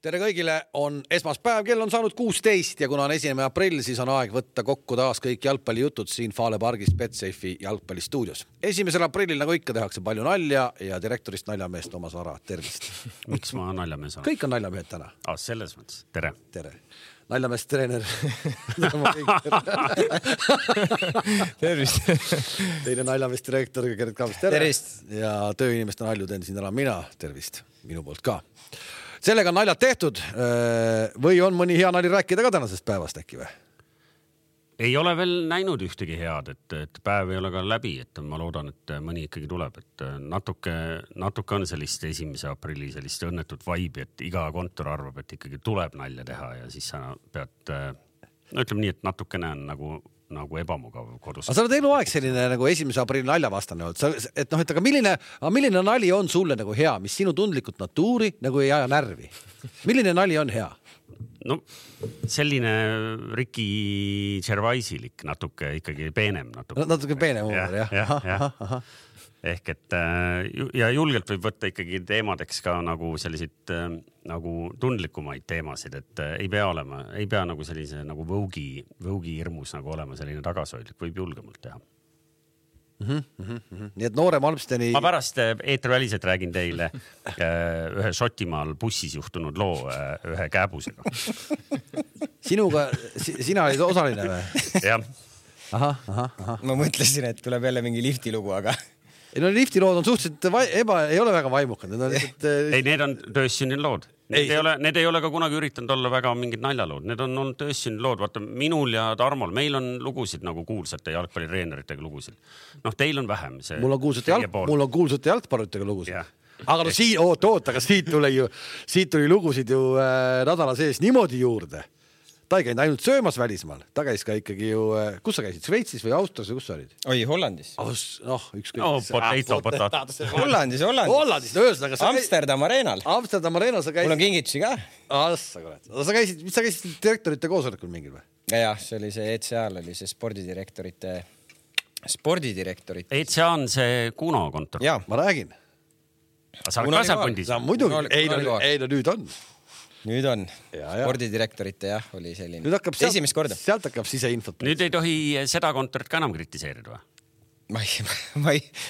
Tere kõigile, on esmaspäev, kell on saanud 16 ja kuna on 1. aprill, siis on aeg võtta kokku taas kõik jalgpallijutud siin Fale pargis Betsafe'i jalgpallistuudios. 1. aprillil nagu ikka tehakse palju nalja ja direktorist naljameest Toomas Vara, tervist. Miks ma naljamees olen? Kõik on naljamehed täna. Selles mõttes, tere. Tere. Naljameest treener. Tervist. Teine naljameest direktor, Gerd Kaabis, tere. Tervist. Ja tööinimeste nalju teen siin ära mina, tervist, minu poolt ka. Sellega on naljad tehtud või on mõni hea nali rääkida ka tänasest päevast äkki või? Ei ole veel näinud ühtegi head, et päev ei ole ka läbi, et ma loodan, et mõni ikkagi tuleb, et natuke on sellist 1. aprilli sellist õnnetut vaibi, et iga kontor arvab, et ikkagi tuleb nalja teha ja siis sa pead, ütleme nii, et natukene on nagu ebamugav kodus. Aga sa oled eluaeg selline nagu 1. aprilli naljavastane olnud, et aga milline nali on sulle nagu hea, mis sinu tundlikult natuuri nagu ei aja närvi? Milline nali on hea? No selline Ricky Gervaisilik, natuke ikkagi peenem. Natuke peenem huumor, jah. Ehk et ja julgelt võib võtta ikkagi teemadeks ka nagu selliseid nagu tundlikumaid teemasid, et ei pea nagu sellise nagu võugi hirmus nagu olema selline tagasoidlik, võib julgemalt teha. Nii et noorem Almsteni... Ma pärast eetriväliselt räägin teile ühe Šotimaal bussis juhtunud loo ühe kääbusega. Sina olid osaline või? Jah. Aha. Ma mõtlesin, et tuleb jälle mingi lifti lugu, aga... No liftilood on suhteliselt ei ole väga vaimukad. Ei, need on töössünnin lood. Need ei ole ka kunagi üritanud olla väga mingid naljalood. Need on olnud töössünnin lood. Vaata, minul ja Tarmol, meil on lugusid nagu kuulsate jalgpallireeneritega lugusid. Teil on vähem. Mul on kuulsate jalgpalluritega lugusid. Aga aga siit tuli lugusid ju nädala sees niimoodi juurde. Ta ei käinud ainult söömas välismaal. Ta käis ka ikkagi ju... Kus sa käisid? Šveitsis või Austrias või kus sa olid? Oi, Hollandis. Potato. Hollandis. Ühesõnaga, Amsterdam Arenal. Amsterdam Arenal sa käisid... Mul on kingitusi ka. Sa käisid direktorite koosolekul mingil või? Jah, see oli see ECA-l, oli see spordidirektorite. ECA on see Kuno kontor. Jaa. Ma räägin. Sa oled ka seal pundis? Muidugi. Ei, nüüd on. Nüüd on. Spordidirektorite, jah, oli selline. Nüüd hakkab esimest korda. Sealt hakkab siseinfot. Nüüd ei tohi seda kontorit ka enam kritiseerida või?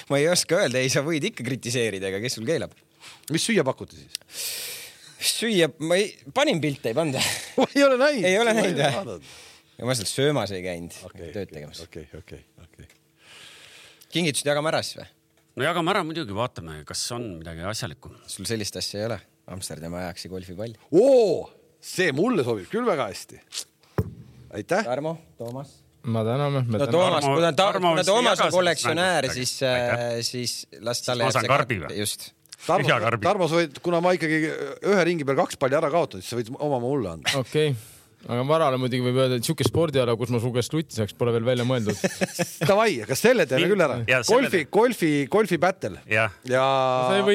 Ma ei oska öelda, ei sa võid ikka kritiseerida, aga kes sul keelab? Mis süüa pakuti siis? Süüa, panin pilte, ei panda. Ei ole näinud. Ei ole näinud, jah. Ja ma sealt söömas ei käinud tööd tegemas. Okei. Kingitused jagame ära siis või? No jagame ära muidugi, vaatame, kas on midagi asjalikku. Sul sellist asja ei ole? Amsterdami ajaksi golfipall. See mulle sobib küll väga hästi. Aitäh. Tarmo, Toomas. Ma täname. Kuna Toomas on kollektsionäär, siis las talle... Ma saan karbi või? Just. Tarmo, kuna ma ikkagi ühe ringi peal 2 palli ära kaotanud, siis sa võid oma mulle anda. Okei. Aga Varale muidugi võib öelda, et siuke spordiala, kus ma su käest lutti saaks, pole veel välja mõeldud. Davai, kas selle teeme küll ära? Golfi battle. Ja. Ta ei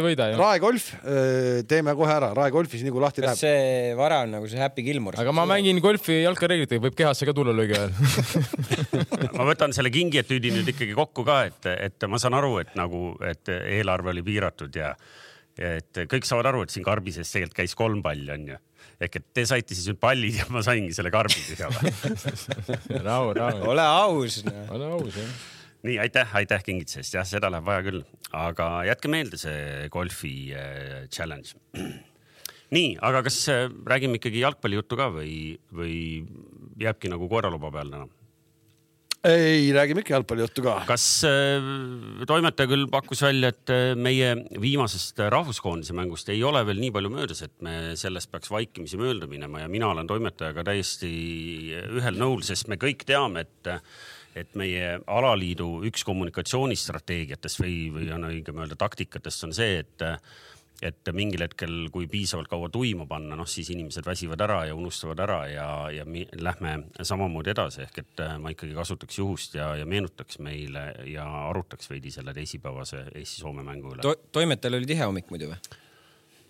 võida. Raegolf, teeme kohe ära. Raegolfis nagu lahti läheb. Kas see Vara on nagu see Happy Gilmore? Aga ma mängin golfi jalkareeglitega, võib kehasse ka tulla löögi ajal. Ma võtan selle kingietüüdi nüüd ikkagi kokku ka, et ma saan aru, et eelarve oli piiratud ja et kõik saavad aru, et siin karbises tegelikult käis 3 palli on ju. Ehk et te saite siis nüüd pallid ja ma saingi selle karbi tühjaga. Rahu. Ole aus, jah. Nii, aitäh kingitusest. Jah, seda läheb vaja küll. Aga jätke meelde see golfi challenge. Nii, aga kas räägime ikkagi jalgpallijuttu ka või jääbki nagu koeraluba peal täna? Ei, räägime ikka jalgpallijuttu ka. Kas toimetaja küll pakkus välja, et meie viimasest rahvuskoondise mängust ei ole veel nii palju möödas, et me sellest peaks vaikimisi mööda minema ja mina olen toimetajaga täiesti ühel nõul, sest me kõik teame, et meie alaliidu üks kommunikatsioonistrateegiatest või on õigem öelda taktikatest on see, et mingil hetkel, kui piisavalt kaua tuima panna, siis inimesed väsivad ära ja unustavad ära ja lähme samamoodi edasi. Ehk et ma ikkagi kasutaks juhust ja meenutaks meile ja arutaks veidi selle teisipäevase Eesti-Soome mängu üle. Toimetajal oli tihe hommik muidu või?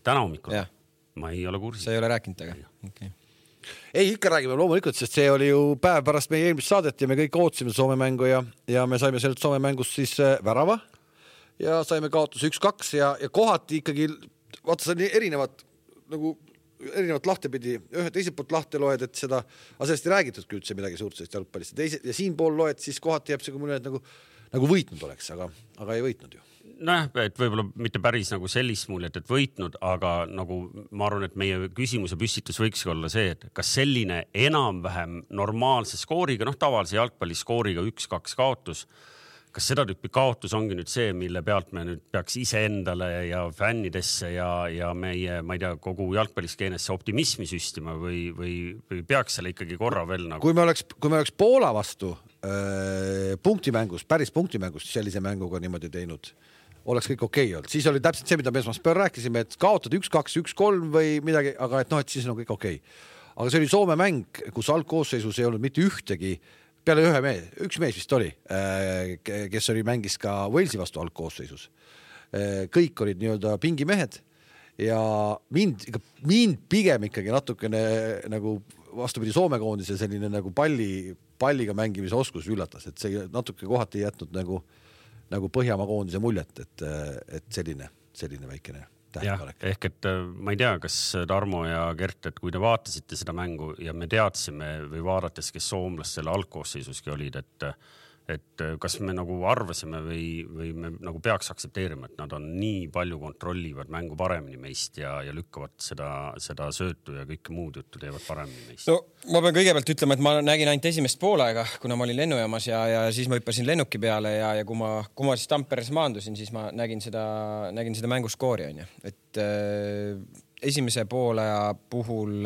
Täna hommikul? Ja. Ma ei ole kursis. Sa ei ole rääkinud taga? Okay. Ei, ikka räägime loomulikult, sest see oli ju päev pärast meie eelmist saadet ja me kõik ootasime Soome mängu ja me saime sellelt Soome mängust siis värava. Ja saime kaotus 1-2 ja kohati ikkagi, vaata see on erinevad nagu erinevat lahtepidi, ühe teiselt poolt lahte loed, et seda, aga sellest ei räägitudki üldse midagi suurt sellest jalgpallist. Ja siin pool loed, siis kohati jääb see kui mõne, et nagu võitnud oleks, aga ei võitnud ju. Nojah, et võib-olla mitte päris nagu sellist muljet, et võitnud, aga nagu ma arvan, et meie küsimuse püstitus võiks olla see, et kas selline enam-vähem normaalse skooriga, tavalise jalgpalli skooriga 1-2 kaotus, kas seda tüüpi kaotus ongi nüüd see, mille pealt me nüüd peaks iseendale ja fännidesse ja meie, ma ei tea, kogu jalgpalliskeenesse optimismi süstima või peaks selle ikkagi korra veel nagu... Kui me oleks Poola vastu punktimängust, päris punktimängust sellise mänguga niimoodi teinud, oleks kõik okei olnud. Siis oli täpselt see, mida me esmaspäeval rääkisime, et kaotad 1-2, 1-3 või midagi, aga et siis on kõik okei. Aga see oli Soome mäng, kus algkoosseisus ei olnud mitte ühtegi peale üks mees vist oli, kes mängis ka Walesi vastu algkoosseisus. Kõik olid nii-öelda pingimehed ja mind pigem ikkagi natukene nagu vastupidi Soome koondise selline nagu palliga mängimise oskus üllatas, et see natuke kohati jätnud nagu Põhjamaa koondise muljet, et selline väikene tähelepanek. Ehk et ma ei tea, kas Tarmo ja Gert, et kui te vaatasite seda mängu ja me teadsime või vaadates, kes soomlastele algkoosseisuski olid, et kas me nagu arvasime või me nagu peaks aktsepteerima, et nad on nii palju kontrollivad mängu paremini meist ja lükkavad seda söötu ja kõike muud juttu teevad paremini meist. No ma pean kõigepealt ütlema, et ma nägin ainult esimest poolaega, kuna ma olin lennujaamas ja siis ma hüppasin lennuki peale ja kui ma siis Tamperes maandusin, siis ma nägin seda mänguskoori on ju. Et esimese poolaja puhul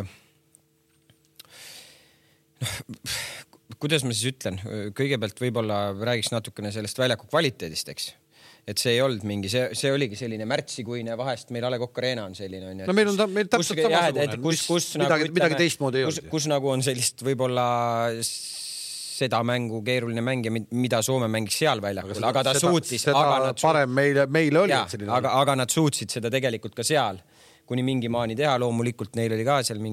kuidas ma siis ütlen, kõigepealt võib-olla räägiks natukene sellest väljaku kvaliteedist, eks. Et see ei olnud mingi, see oligi selline märtsikuine, vahest meil A. Le Coq Arena on selline. On, no meil täpselt samasugune, midagi teistmoodi ei olnud. Kus nagu on sellist võib-olla seda mängu keeruline mäng ja mida Soome mängis seal väljakul, aga ta suutsis. Parem meile oli. Aga nad suutsid seda tegelikult ka seal, kuni mingi maani teha. Loomulikult neil oli ka seal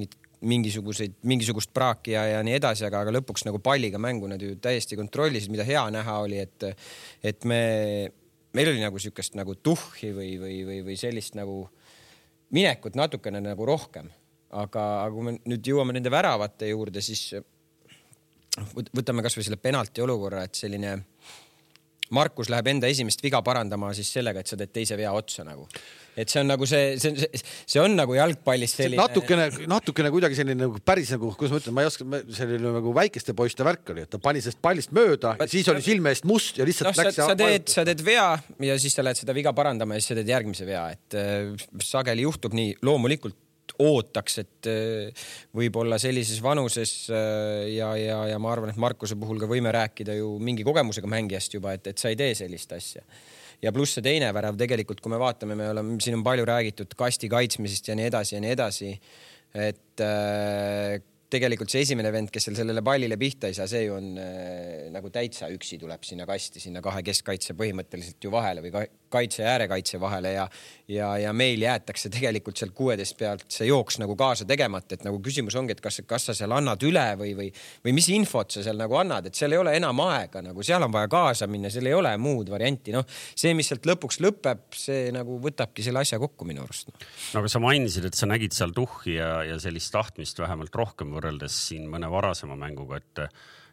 mingisugust praaki ja nii edasi, aga lõpuks nagu palliga mängu nad ju täiesti kontrollisid, mida hea näha oli, et meil oli nagu sükest nagu tuhhi või sellist nagu minekut natukene nagu rohkem. Aga kui me nüüd jõuame nende väravate juurde, siis võtame kas või selle penalti olukorra, et selline Markus läheb enda esimest viga parandama siis sellega, et sa teed teise vea otsa nagu. Et see on nagu see on nagu jalgpallis selline... Natukene kuidagi selline nagu päris nagu, kuidas ma ütlen, ma ei oska, selline nagu väikeste poiste värk oli, et ta pani sellest pallist mööda ja siis oli silme eest must ja lihtsalt läks... Sa teed vea ja siis sa lähed seda viga parandama ja siis sa teed järgmise vea, et sageli juhtub nii, loomulikult ootaks, et võib-olla sellises vanuses ja ma arvan, et Markuse puhul ka võime rääkida ju mingi kogemusega mängijast juba, et sa ei tee sellist asja. Ja pluss see teine värav tegelikult, kui me vaatame, siin on palju räägitud kasti kaitsmisest ja nii edasi, et tegelikult see esimene vend, kes sellele pallile pihta ei saa, see ju on nagu täitsa üksi tuleb sinna kasti, sinna kahe keskkaitse põhimõtteliselt ju vahele või kaitse ja äärekaitse vahele ja meil jäetakse tegelikult seal 16 pealt see jooks nagu kaasa tegemata, et nagu küsimus ongi, et kas sa seal annad üle või mis infot sa seal nagu annad, et seal ei ole enam aega, nagu seal on vaja kaasa minna, seal ei ole muud varianti, see, mis sealt lõpuks lõpeb, see nagu võtabki selle asja kokku minu arust. No aga sa mainisid, et sa nägid seal tuhhi ja sellist tahtmist vähemalt rohkem võrreldes siin mõne varasema mänguga,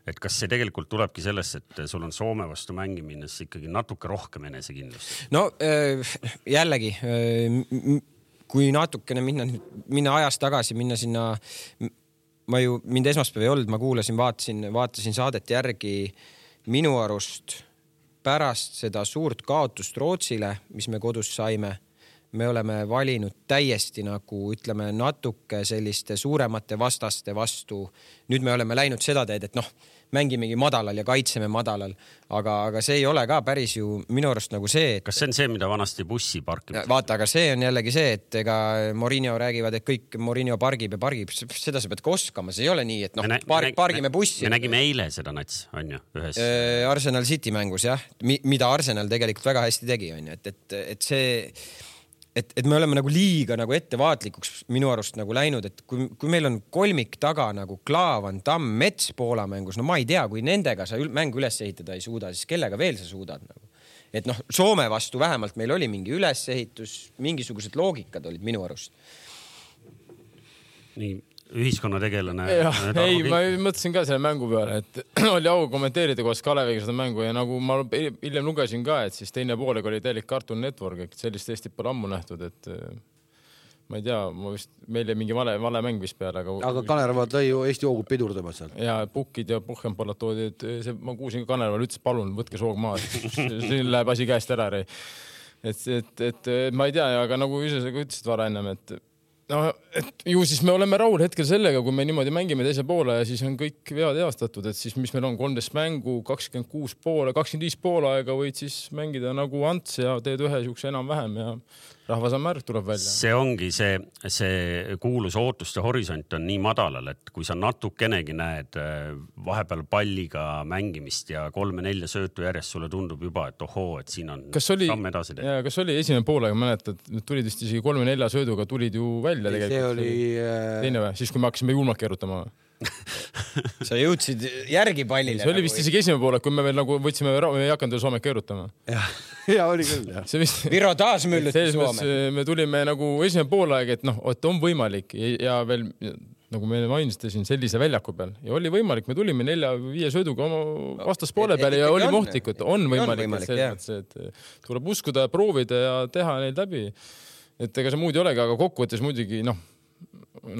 et kas see tegelikult tulebki sellest, et sul on Soome vastu mängimines ikkagi natuke rohkem enesekindlust? No jällegi, kui natukene minna ajas tagasi, minna sinna, mind esmaspäev ei olnud, ma kuulasin, vaatasin saadet järgi minu arust pärast seda suurt kaotust Rootsile, mis me kodus saime, me oleme valinud täiesti nagu, ütleme, natuke selliste suuremate vastaste vastu. Nüüd me oleme läinud seda teed, et mängimegi madalal ja kaitseme madalal, aga see ei ole ka päris ju minu arust nagu see, et... Kas see on see, mida vanasti bussi parkib? Vaata, aga see on jällegi see, et ega Mourinho räägivad, et kõik Mourinho pargib, seda sa pead koskama, see ei ole nii, et pargime bussi. Me nägime eile seda nats, on ju, ühes... Arsenal City mängus, jah, mida Arsenal tegelikult väga hästi tegi, on ju, et see... Et me oleme nagu liiga nagu ettevaatlikuks minu arust nagu läinud, et kui meil on kolmik taga nagu Klaavan, Tamm, Mets Poola mängus, ma ei tea, kui nendega sa mängu üles ehitada ei suuda, siis kellega veel sa suudad nagu. Et Soome vastu vähemalt meil oli mingi ülesehitus, mingisugused loogikad olid minu arust. Nii, ühiskonnategelane. Ei, ma mõtlesin ka selle mängu peale, et oli au kommenteerida koos Kaleviga seda mängu ja nagu ma hiljem lugesin ka, et siis teine poolega oli täielik Cartoon Network, et sellist Eestit pole ammu nähtud, et ma ei tea, meil mingi vale mäng vist peale. Aga Kanerva tõi ju Eesti hoogud pidurdama seal. Ja Pukid ja Puhhenpallad toodi, et ma kuulsin ka Kanerval ütles, palun, võtke soog maa, siin läheb asi käest ära. Et ma ei tea, aga nagu ise sa ütlesid vara ennem, et ju siis me oleme rahul hetkel sellega, kui me niimoodi mängime teise poole ja siis on kõik vead eastatud, et siis mis meil on 13 mängu, 25 poole aega võid siis mängida nagu Ants ja teed ühe siukse enam-vähem ja rahvasamärk tuleb välja. See ongi see kuulus ootuste horisont on nii madalal, et kui sa natukenegi näed vahepeal palliga mängimist ja 3-4 söötu järjest, sulle tundub juba, et ohoo, et siin on samm edasi teha. Kas oli esimene poolega, mäletad, tulid vist isegi 3-4 sööduga tulid ju välja tegelikult. See oli teine või? Siis kui me hakkasime julmalt keerutama. Sa jõudsid järgi pallile. See oli vist isegi esimene poole, kui me veel nagu võtsime, me ei hakanud Soomet keerutama. Ja oli küll, jah. Viro taas mülluti Soome. Me tulime nagu esimene poolaeg, et et on võimalik ja veel nagu me mainisite siin sellise väljaku peal ja oli võimalik, me tulime 4-5 sööduga oma vastaspoole peale ja oli mohtlikud, on võimalik, et tuleb uskuda ja proovida ja teha neid läbi. Et ega see muud ei olegi, aga kokkuvõttes muidugi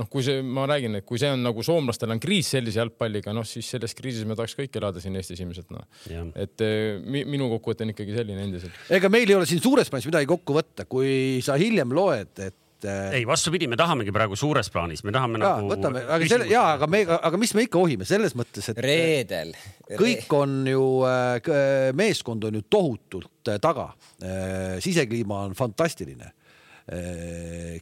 kui see, ma räägin, et kui see on nagu soomlastel on kriis sellise jalgpalliga, siis selles kriisis me tahaks kõik elada siin Eestis ilmselt. Et minu kokkuvõte on ikkagi selline endiselt. Ega meil ei ole siin suures plaanis midagi kokku võtta, kui sa hiljem loed, et ei, vastupidi, me tahamegi praegu suures plaanis, me tahame nagu võtame, aga mis me ikka ohime selles mõttes, et reedel kõik on ju, meeskond on ju tohutult taga, sisekliima on fantastiline.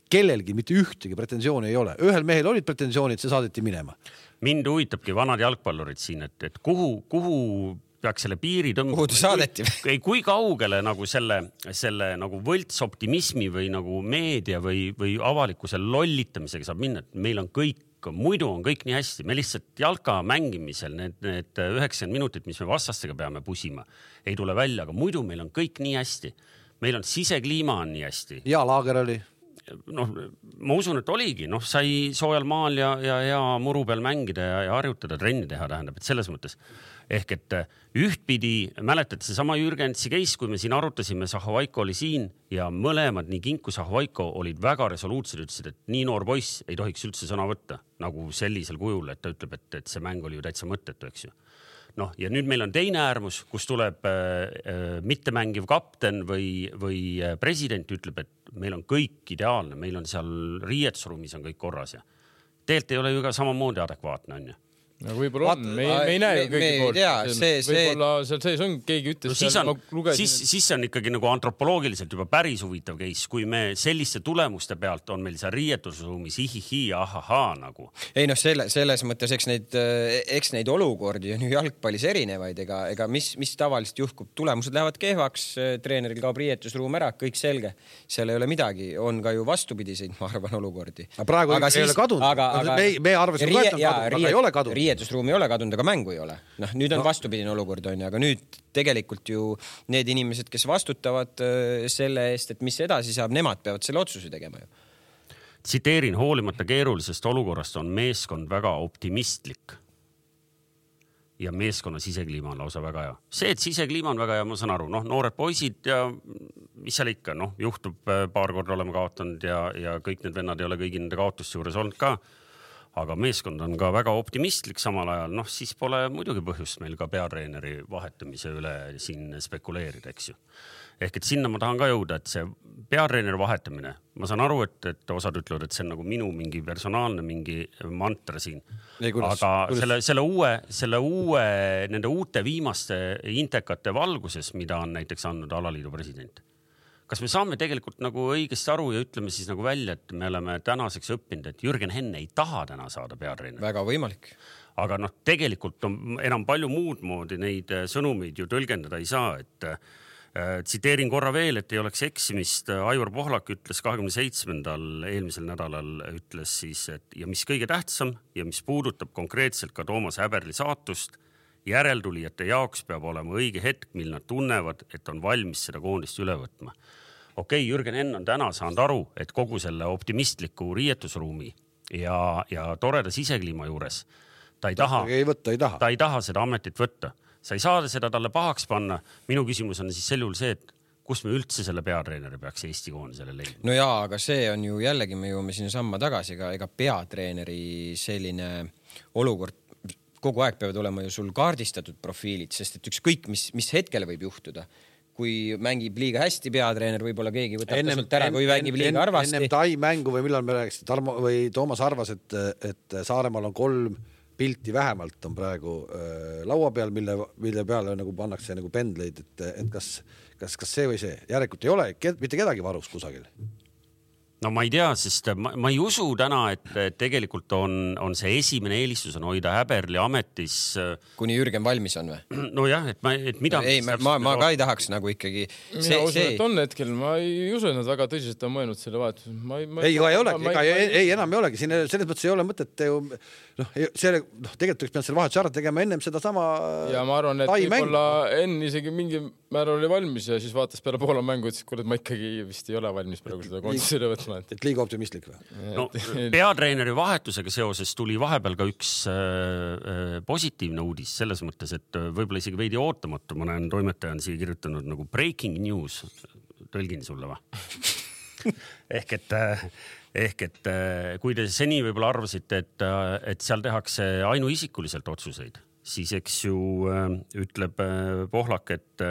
Kellelgi mitte ühtegi pretensiooni ei ole. Ühel mehel olid pretensioonid, see saadeti minema. Mind huvitabki vanad jalgpallurid siin, et kuhu peaks selle piiri tõmbama. Kuhu ta saadeti? Kui kaugele nagu selle nagu võlts optimismi või nagu meedia või avalikkuse lollitamisega saab minna, et meil on kõik, muidu on kõik nii hästi. Me lihtsalt jalka mängimisel need 90 minutit, mis me vastastega peame pusima, ei tule välja, aga muidu meil on kõik nii hästi. Meil on sisekliima on nii hästi. Ja laager oli. Ma usun, et oligi. Sai soojal maal ja muru peal mängida ja harjutada, trenni teha tähendab, et selles mõttes. Ehk et ühtpidi mäletad see sama Jürgensi case, kui me siin arutasime, Sahovaiko oli siin ja mõlemad, nii Kink kui Sahovaiko olid väga resoluutsed, ütlesid, et nii noor poiss ei tohiks üldse sõna võtta nagu sellisel kujul, et ta ütleb, et see mäng oli ju täitsa mõttetu, eks ju. Ja nüüd meil on teine äärmus, kus tuleb mittemängiv kapten või president ütleb, et meil on kõik ideaalne, meil on seal riietusruumis on kõik korras ja tegelikult ei ole ju ka samamoodi adekvaatne, on ju. Võib-olla on, me ei näe ju kõigi poolt. Võib-olla seal sees on, keegi ütles. Siis see on ikkagi nagu antropoloogiliselt juba päris huvitav case, kui me selliste tulemuste pealt on meil seal riietusruumis hihihi ja ahahaa nagu. Ei selles mõttes, eks neid olukordi on ju jalgpallis erinevaid, ega mis tavaliselt juhkub, tulemused lähevad kehvaks, treeneril kaob riietusruum ära, kõik selge. Seal ei ole midagi, on ka ju vastupidiseid, ma arvan, olukordi. Praegu ei ole kadunud. Me arvasime, et on kadunud, aga ei ole kadunud. Riietusruumi ei ole kadunud, aga mängu ei ole. Nüüd on vastupidine olukord, aga nüüd tegelikult ju need inimesed, kes vastutavad selle eest, et mis edasi saab, nemad peavad selle otsuse tegema ju. Tsiteerin, hoolimata keerulisest olukorrast on meeskond väga optimistlik. Ja meeskonna sisekliima on lausa väga hea. See, et sisekliima on väga hea, ma saan aru, noored poisid ja mis seal ikka, juhtub paar korda oleme kaotanud ja kõik need vennad ei ole kõigi nende kaotuste juures olnud ka. Aga meeskond on ka väga optimistlik samal ajal, siis pole muidugi põhjust meil ka peatreeneri vahetamise üle siin spekuleerida, eks ju. Ehk et sinna ma tahan ka jõuda, et see peatreeneri vahetamine, ma saan aru, et osad ütlevad, et see on nagu minu mingi personaalne mingi mantra siin. Aga selle uue, nende uute viimaste intekate valguses, mida on näiteks andnud alaliidu president. Kas me saame tegelikult nagu õigesti aru ja ütleme siis nagu välja, et me oleme tänaseks õppinud, et Jürgen Henn ei taha täna saada peatreener? Väga võimalik. Aga tegelikult on enam palju muud moodi neid sõnumeid ju tõlgendada ei saa, et tsiteerin korra veel, et ei oleks eksimist. Aivar Pohlak ütles 27. eelmisel nädalal ütles siis, et ja mis kõige tähtsam ja mis puudutab konkreetselt ka Toomas Häberli saatust, järeltulijate jaoks peab olema õige hetk, mil nad tunnevad, et on valmis seda koondist üle võtma. Okei, Jürgen Henn on täna saanud aru, et kogu selle optimistliku riietusruumi ja toreda sisekliima juures ta ei taha seda ametit võtta. Sa ei saa seda talle pahaks panna. Minu küsimus on siis sel juhul see, et kus me üldse selle peatreeneri peaks Eesti koondisele leidma? No jaa, aga see on ju jällegi, me jõuame sinna samma tagasi, ega peatreeneri selline olukord, kogu aeg peavad olema ju sul kaardistatud profiilid, sest et ükskõik, mis hetkel võib juhtuda. Kui mängib liiga hästi peatreener, võib-olla keegi võtab tasult ära, kui mängib liiga arvasti. Ennem Tai mängu või millal me rääkisime, Tarmo või Toomas arvas, et Saaremaal on 3 pilti vähemalt on praegu laua peal, mille peale nagu pannakse nagu pendleid, et kas see või see. Järelikult ei ole mitte kedagi varus kusagil. No ma ei tea, sest ma ei usu täna, et tegelikult on see esimene eelistus on hoida Häberli ametis. Kuni Jürgen valmis on või? No jah, et mida... Ei, ma ka ei tahaks nagu ikkagi... Mina usun, et on hetkel. Ma ei usu, et nad väga tõsiselt on mõelnud selle vahetus. Ei olegi. Ei, enam ei olegi. Siin selles mõttes ei ole mõtet ju... tegelikult võiks peanud selle vahetus ära tegema ennem seda sama... Ja ma arvan, et võib-olla enne isegi mingi määr oli valmis ja siis vaatas peale Poola mängu, et kurat, ma ikkagi vist ei ole valmis praegu seda koondisele võtma. Et liiga optimistlik või? No, peatreeneri vahetusega seoses tuli vahepeal ka üks positiivne uudis selles mõttes, et võib-olla isegi veidi ootamatu. Ma näen toimetaja on siia kirjutanud nagu breaking news. Tõlgin sulle või? Ehk et kui te seni võib-olla arvasite, et seal tehakse ainuisikuliselt otsuseid, siis eks ju ütleb Pohlak, et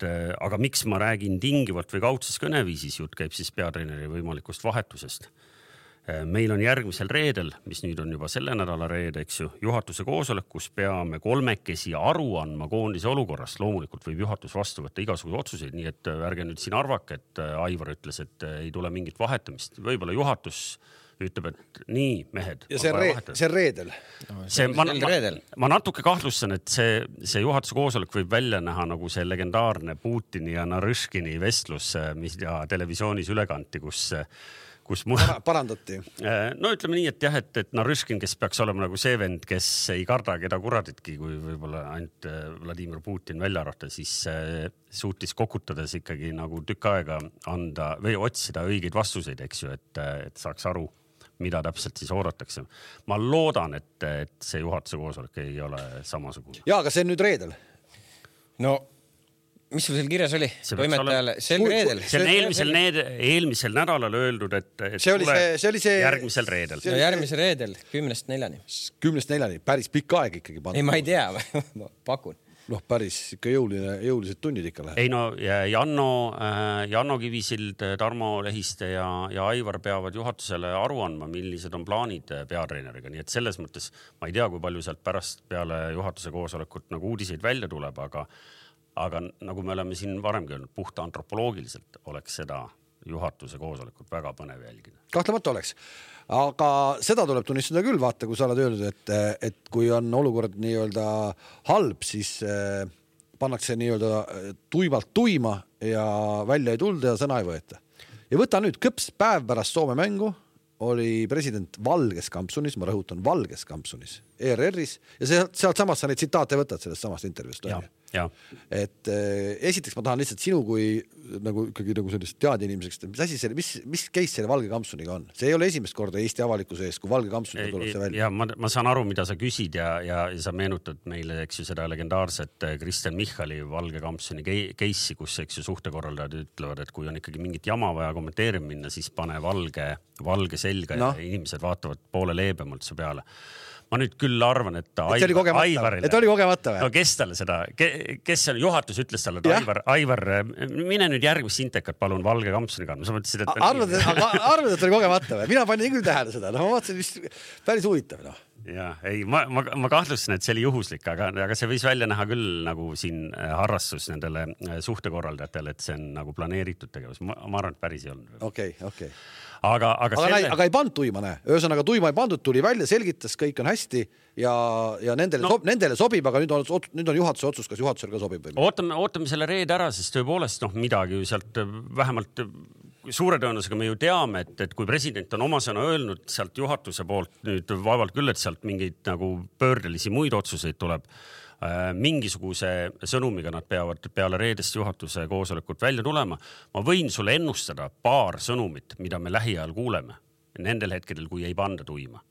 aga miks ma räägin tingivalt või kaudses kõneviisis, jutt käib siis peatreeneri võimalikust vahetusest. Meil on järgmisel reedel, mis nüüd on juba selle nädala reede, eks ju, juhatuse koosolek, kus peame 3 aru andma koondise olukorrast. Loomulikult võib juhatus vastu võtta igasugu otsuseid, nii et ärge nüüd siin arvake, et Aivar ütles, et ei tule mingit vahetamist. Võib-olla juhatus ütleb, et nii, mehed. Ja see reedel. Ma natuke kahtlustan, et see juhatuse koosolek võib välja näha nagu see legendaarne Putini ja Narõškini vestlus, mis televisioonis üle kanti, kus parandati. No ütleme nii, et jah, et Narõškin, kes peaks olema nagu see vend, kes ei karda keda kuraditki, kui võib-olla ainult Vladimir Putin välja arvata, siis suutis kokutades ikkagi nagu tükk aega anda või otsida õigeid vastuseid, eks ju, et saaks aru, mida täpselt siis oodatakse. Ma loodan, et see juhatuse koosolek ei ole samasugune. Jaa, aga see on nüüd reedel. No, mis sul seal kirjas oli? Toimetajale sel reedel. See on eelmisel nädalal öeldud, et see oli see järgmisel reedel. No järgmisel reedel, 10-4. 10-4, päris pikk aeg ikkagi. Ei, ma ei tea, ma pakun. Päris ikka jõulised tunnid ikka läheb. Ei no, Janno Kivisild, Tarmo Lehiste ja Aivar peavad juhatusele aru andma, millised on plaanid peatreeneriga. Nii et selles mõttes ma ei tea, kui palju sealt pärast peale juhatuse koosolekut nagu uudiseid välja tuleb, aga nagu me oleme siin varemgi öelnud, puhta antropoloogiliselt oleks seda juhatuse koosolekut väga põnev jälgida. Kahtlemata oleks. Aga seda tuleb tunnistada küll, vaata, kui sa oled öelnud, et kui on olukord nii-öelda halb, siis pannakse nii-öelda tuimalt tuima ja välja ei tulda ja sõna ei võeta. Ja võta nüüd kõps päev pärast Soome mängu oli president Valges kampsunis, ma rõhutan Valges kampsunis, ERR-is ja sealt samast sa neid tsitaate võtad sellest samast intervjuust. Ja. Et esiteks ma tahan lihtsalt sinu kui nagu ikkagi nagu sellist teadi inimeseks, mis asi selle, mis case selle Valge kampsuniga on? See ei ole esimest korda Eesti avalikkuse ees, kui Valge kampsuniga tuleb see välja. Ja ma saan aru, mida sa küsid ja sa meenutad meile, eks ju, seda legendaarset Kristen Michali Valge kampsuni case'i, kus eks ju suhtekorraldajad ütlevad, et kui on ikkagi mingit jama vaja kommenteerima minna, siis pane valge selga ja inimesed vaatavad poole leebemalt su peale. Ma nüüd küll arvan, et oli kogemata või? No kes talle seda, kes juhatus ütles talle, et Aivar, mine nüüd järgmist intekat palun Valge kampsuni kandma. Sa mõtlesid, et... Arvad, et oli kogemata või? Mina panin küll tähele seda. Ma vaatasin, mis päris huvitav. Ja, ei, ma kahtlustan, et see oli juhuslik, aga see võis välja näha küll nagu siin harrastus nendele suhtekorraldajatele, et see on nagu planeeritud tegevus. Ma arvan, et päris ei olnud. Okei. Aga ei pannud tuima, näe. Ühesõnaga tuima ei pandud, tuli välja, selgitas, kõik on hästi ja nendele sobib, aga nüüd on juhatuse otsus, kas juhatusel ka sobib või? Ootame selle reede ära, sest tõepoolest midagi ju sealt vähemalt suure tõenäosusega me ju teame, et kui president on oma sõna öelnud sealt juhatuse poolt nüüd vaevalt küll, et sealt mingeid nagu pöördelisi muid otsuseid tuleb, mingisuguse sõnumiga nad peavad peale reedest juhatuse koosolekut välja tulema. Ma võin sulle ennustada paar sõnumit, mida me lähiajal kuuleme. nendel hetkedel, kui ei panda tuima.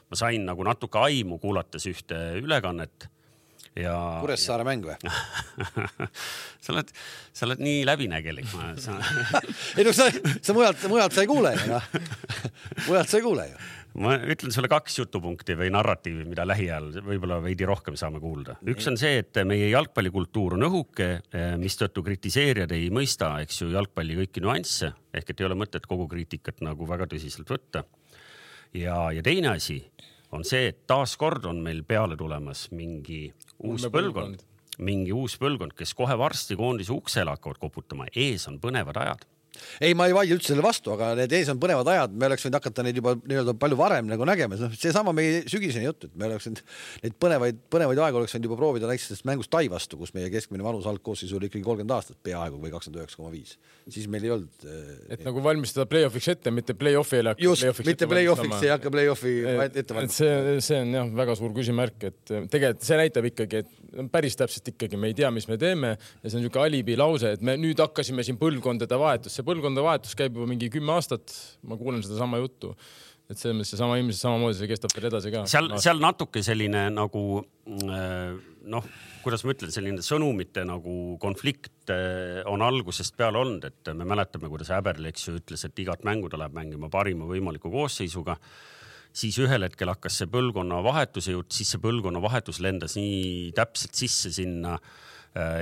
Ma sain nagu natuke aimu kuulates ühte ülekannet ja Kuressaare mäng või? sa oled nii läbinägelik. Ei no sa mujalt sa ei kuule ju, noh. Mujalt sa ei kuule ju. Ma ütlen sulle 2 jutupunkti või narratiivi, mida lähiajal võib-olla veidi rohkem saame kuulda. Üks on see, et meie jalgpallikultuur on õhuke, mistõttu kritiseerijad ei mõista, eks ju, jalgpalli kõiki nüansse, ehk et ei ole mõtet kogu kriitikat nagu väga tõsiselt võtta. Ja teine asi on see, et taaskord on meil peale tulemas mingi uus põlvkond, kes kohe varsti koondise uksele hakkavad koputama. Ees on põnevad ajad. Ei, ma ei vaidle üldse selle vastu, aga need ees on põnevad ajad, me oleks võinud hakata neid juba nii-öelda palju varem nagu nägema. See sama meie sügiseni jutt, et me oleks neid põnevaid aegu oleks võinud juba proovida näiteks mängust Tai vastu, kus meie keskmine vanus algkoosseis oli ikkagi 30 aastat peaaegu või 29,5. Siis meil ei olnud... Et nagu valmistada play-offiks ette, mitte play-offi ei hakka. Just, mitte play-offiks ei hakka play-offi ette valmistada. See on jah, väga suur küsimärk, et tegelikult see näitab ikkagi, et päris täpselt ikkagi me ei tea, mis me teeme ja see on niisugune alibi lause, et me nüüd hakkasime siin põlvkondade vahetus. See põlvkondade vahetus käib juba mingi 10 aastat, ma kuulen seda sama juttu. Et see sama ilmselt samamoodi see kestab veel edasi ka. Seal natuke selline nagu, kuidas ma ütlen, selline sõnumite nagu konflikt on algusest peale olnud, et me mäletame, kuidas Äberl, eks ju, ütles, et igat mängu ta läheb mängima parima võimaliku koosseisuga. Siis ühel hetkel hakkas see põlvkonna vahetuse jutt, siis see põlvkonna vahetus lendas nii täpselt sisse sinna,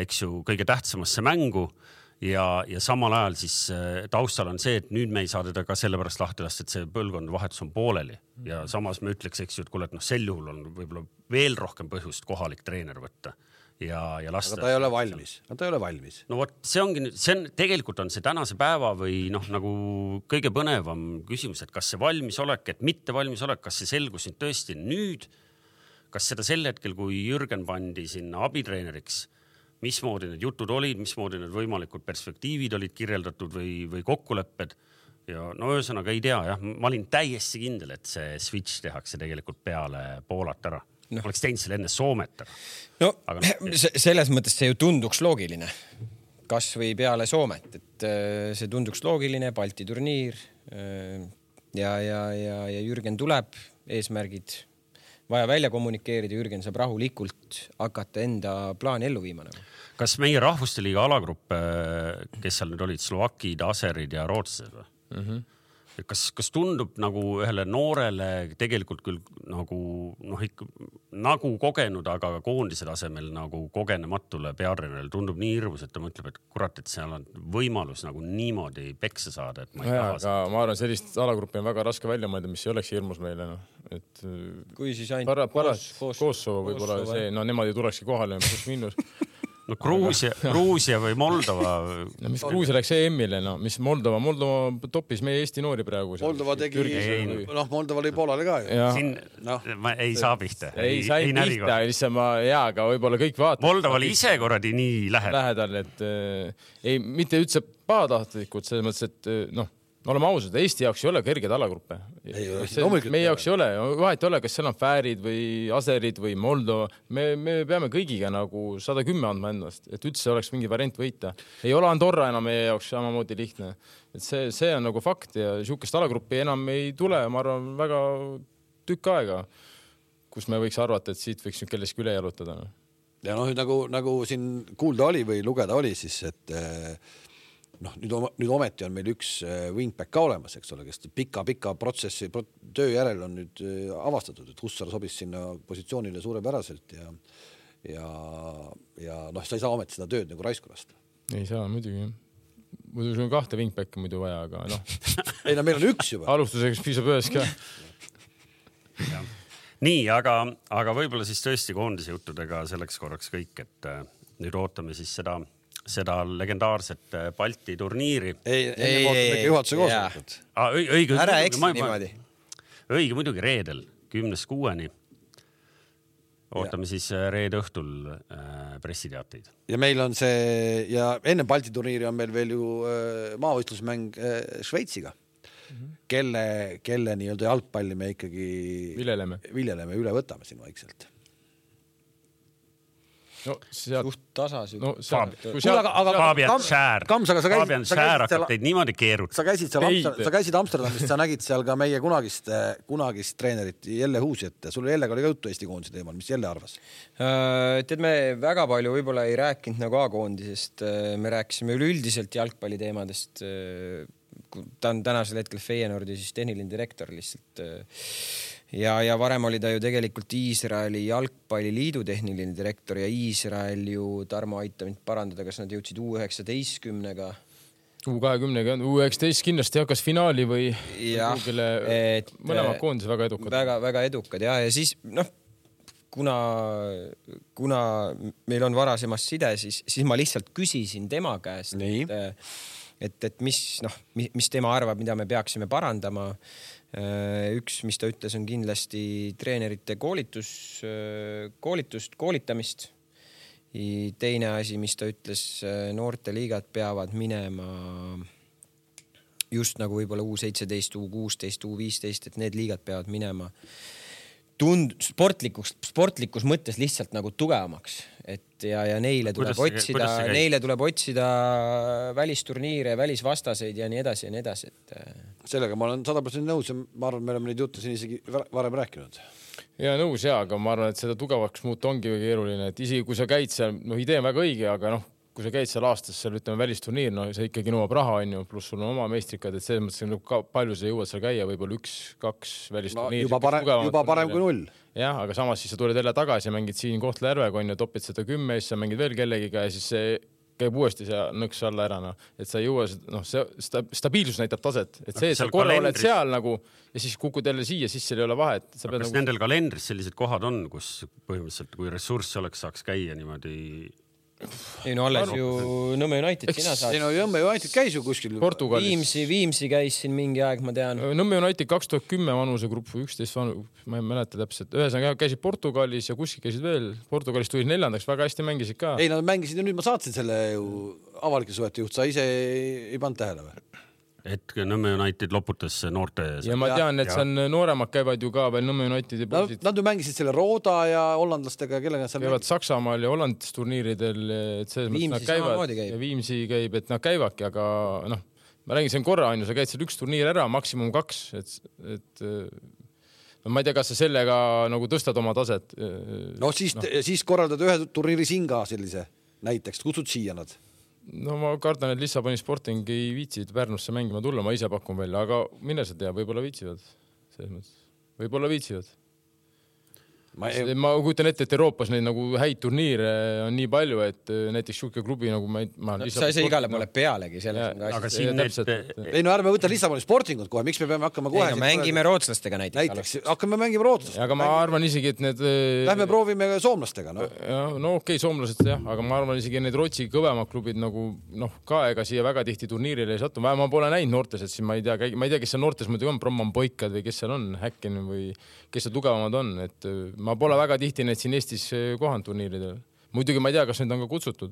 eks ju, kõige tähtsamasse mängu. Ja samal ajal siis taustal on see, et nüüd me ei saa teda ka sellepärast lahti lasta, et see põlvkond vahetus on pooleli. Ja samas me ütleks, eks ju, et kuule, et sel juhul on võib-olla veel rohkem põhjust kohalik treener võtta ja lasta. Aga ta ei ole valmis. No vot, tegelikult on see tänase päeva või nagu kõige põnevam küsimus, et kas see valmisolek, et mitte valmisolek, kas see selgus nüüd tõesti nüüd, kas seda sel hetkel, kui Jürgen pandi sinna abitreeneriks, mismoodi need jutud olid, mismoodi need võimalikud perspektiivid olid kirjeldatud või kokkulepped. Ja ühesõnaga ei tea, jah. Ma olin täiesti kindel, et see switch tehakse tegelikult peale Poolat ära. Oleks teinud selle enne Soomet ära. Selles mõttes see ju tunduks loogiline. Kas või peale Soomet, et see tunduks loogiline, Balti turniir ja Jürgen tuleb, eesmärgid vaja välja kommunikeerida, Jürgen saab rahulikult hakata enda plaani ellu viima. Kas meie Rahvuste Liiga alagrupp, kes seal nüüd olid, Slovakid, Aserid ja Rootslased või? Kas tundub nagu ühele noorele tegelikult küll nagu kogenud, aga koondise tasemel nagu kogenematule peatreenerile tundub nii hirmus, et ta mõtleb, et kurat, et seal on võimalus nagu niimoodi peksa saada, et ma ei taha seda. Ma arvan, sellist alagruppi on väga raske välja mõelda, mis ei oleks hirmus meile. Et kui siis ainult Kosovo võib-olla see, nemad ei tulekski kohale, plus miinus. Gruusia või Moldova. Mis Gruusia läks EM-ile, mis Moldova toppis meie Eesti noori praegu. Moldova tegi, Moldova oli Poolale ka ju. Ma ei saa pihta. Ei sai pihta, lihtsalt ma aga võib-olla kõik vaatavad. Moldova oli ise korradi nii lähedal, et ei, mitte üldse pahatahtlikud, selles mõttes, et oleme ausad, Eesti jaoks ei ole kerged alagruppe. Meie jaoks ei ole, vahet ei ole, kas seal on Fäärid või Aserid või Moldova. Me peame kõigiga nagu 110 andma ennast, et üldse oleks mingi variant võita. Ei ole Andorra enam meie jaoks samamoodi lihtne. Et see on nagu fakt ja siukest alagruppi enam ei tule, ma arvan, väga tükk aega, kus me võiks arvata, et siit võiks nüüd kelleski üle jalutada. Ja nagu siin kuulda oli või lugeda oli, siis et nüüd ometi on meil üks wingback ka olemas, eks ole, kes pika protsessi töö järel on nüüd avastatud, et Hussar sobis sinna positsioonile suurepäraselt ja sa ei saa ometi seda tööd nagu raisku lasta. Ei saa, muidugi. Muidu sul on 2 wingbacki muidu vaja, aga Ei, meil on üks juba. Alustuseks piisab ühes ka. Nii, aga võib-olla siis tõesti koondise juttudega selleks korraks kõik, et nüüd ootame siis seda legendaarset Balti turniiri. Ei, juhatuse koosolekut. Ära eksi niimoodi. Õige muidugi reedel 10.6. Ootame siis reede õhtul pressiteateid. Ja meil on see, ja enne Balti turniiri on meil veel ju maavõistlusmäng Šveitsiga, kelle nii-öelda jalgpalli me ikkagi viljeleme üle võtame siin vaikselt. suht tasas. Fabian Schär hakkab teid niimoodi keerutada. Sa käisid Amsterdamis, sa nägid seal ka meie kunagist treenerit Jelle Huusjet. Sul Jellega oli ka juttu Eesti koondise teemal. Mis Jelle arvas? Tead, me väga palju võib-olla ei rääkinud nagu A-koondisest. Me rääkisime üleüldiselt jalgpalli teemadest. Ta on tänasel hetkel Feyenoordi siis tehniline direktor lihtsalt. Ja varem oli ta ju tegelikult Iisraeli jalgpalliliidu tehniline direktor ja Iisrael ju, Tarmo aita mind parandada, kas nad jõudsid U19-ga? U20-ga, U19 kindlasti hakkas finaali või mõlema koondise väga edukad. Väga edukad ja siis kuna meil on varasemast side, siis ma lihtsalt küsisin tema käest, et mis tema arvab, mida me peaksime parandama. Üks, mis ta ütles, on kindlasti treenerite koolitamist. Teine asi, mis ta ütles, noorteliigad peavad minema just nagu võib-olla U17, U16, U15, et need liigad peavad minema sportlikus mõttes lihtsalt nagu tugevamaks, et ja neile tuleb otsida välisturniire, välisvastaseid ja nii edasi ja nii edasi. Sellega ma olen 100% nõus ja ma arvan, me oleme neid jutte siin isegi varem rääkinud. Ja nõus aga ma arvan, et seda tugevaks muuta ongi väga keeruline, et isegi kui sa käid seal, idee on väga õige, aga kui sa käid seal aastas, seal ütleme välisturniir, see ikkagi nõuab raha, pluss sul on oma meistrikad, et selles mõttes palju sa jõuad seal käia, võib-olla 1-2 välisturniir. Juba parem kui 0. Jah, aga samas siis sa tuled jälle tagasi ja mängid siin Kohtla-Järvega, topid seda 10 ja siis sa mängid veel kellegiga ja siis see käib uuesti see nõks alla ära. Et sa ei jõua, see stabiilsus näitab taset. Et see, et sa korra oled seal nagu ja siis kukud jälle siia, siis seal ei ole vahet. Kas nendel kalendris sellised kohad on, kus põhimõtteliselt kui ressurss oleks, saaks käia niimoodi... Ei alles ju Nõmme United sina saad. Nõmme United käis ju kuskil Portugalis. Viimsi käis siin mingi aeg, ma tean. Nõmme United 2010 vanusegrupp või 11 ma ei mäleta täpselt. Ühesõnaga käisid Portugalis ja kuskil käisid veel. Portugalis tulid 4. väga hästi mängisid ka. Ei, nad mängisid ja nüüd ma saatsin selle ju avalike suhete juht. Sa ise ei pannud tähele või? Et Nõmme United loputas noorte... Ja ma tean, et seal nooremad käivad ju ka veel Nõmme Unitedi poisid. Nad ju mängisid selle Rooda ja hollandlastega, kellega seal käivad Saksamaal ja Hollandis turniiridel, et selles mõttes nad käivad ja Viimsi käib, et nad käivadki, aga ma räägin, see on korra, sa käid seal 1 turniir ära, maksimum 2, et ma ei tea, kas sa sellega nagu tõstad oma taset. Siis korraldad ühe turniiri siin ka sellise näiteks, kutsud siia nad? Ma kardan, et Lissaboni Sporting ei viitsid Pärnusse mängima tulla, ma ise pakun välja, aga mine sa tea, võib-olla viitsivad. Võib-olla viitsivad. Ma kujutan ette, et Euroopas neid nagu häid turniire on nii palju, et näiteks siuke klubi nagu sa ei saa igale poole pealegi. Aga siin ei ärme võtta Lissaboni Sportingut kohe, miks me peame hakkama kohe... Mängime rootslastega näiteks. Hakkame mängima rootslastega. Aga ma arvan isegi, et need... Lähme proovime soomlastega. Okei, soomlased jah, aga ma arvan isegi need Rootsi kõvemad klubid nagu ka ega siia väga tihti turniirile ei satu. Ma pole näinud noortes, et siin ma ei tea, kes seal noortes muidugi on, Bromman Boikad või kes seal on, Häkken või kes seal tugevamad on, et ma pole väga tihti need siin Eestis kohanud turniiridel. Muidugi ma ei tea, kas need on ka kutsutud.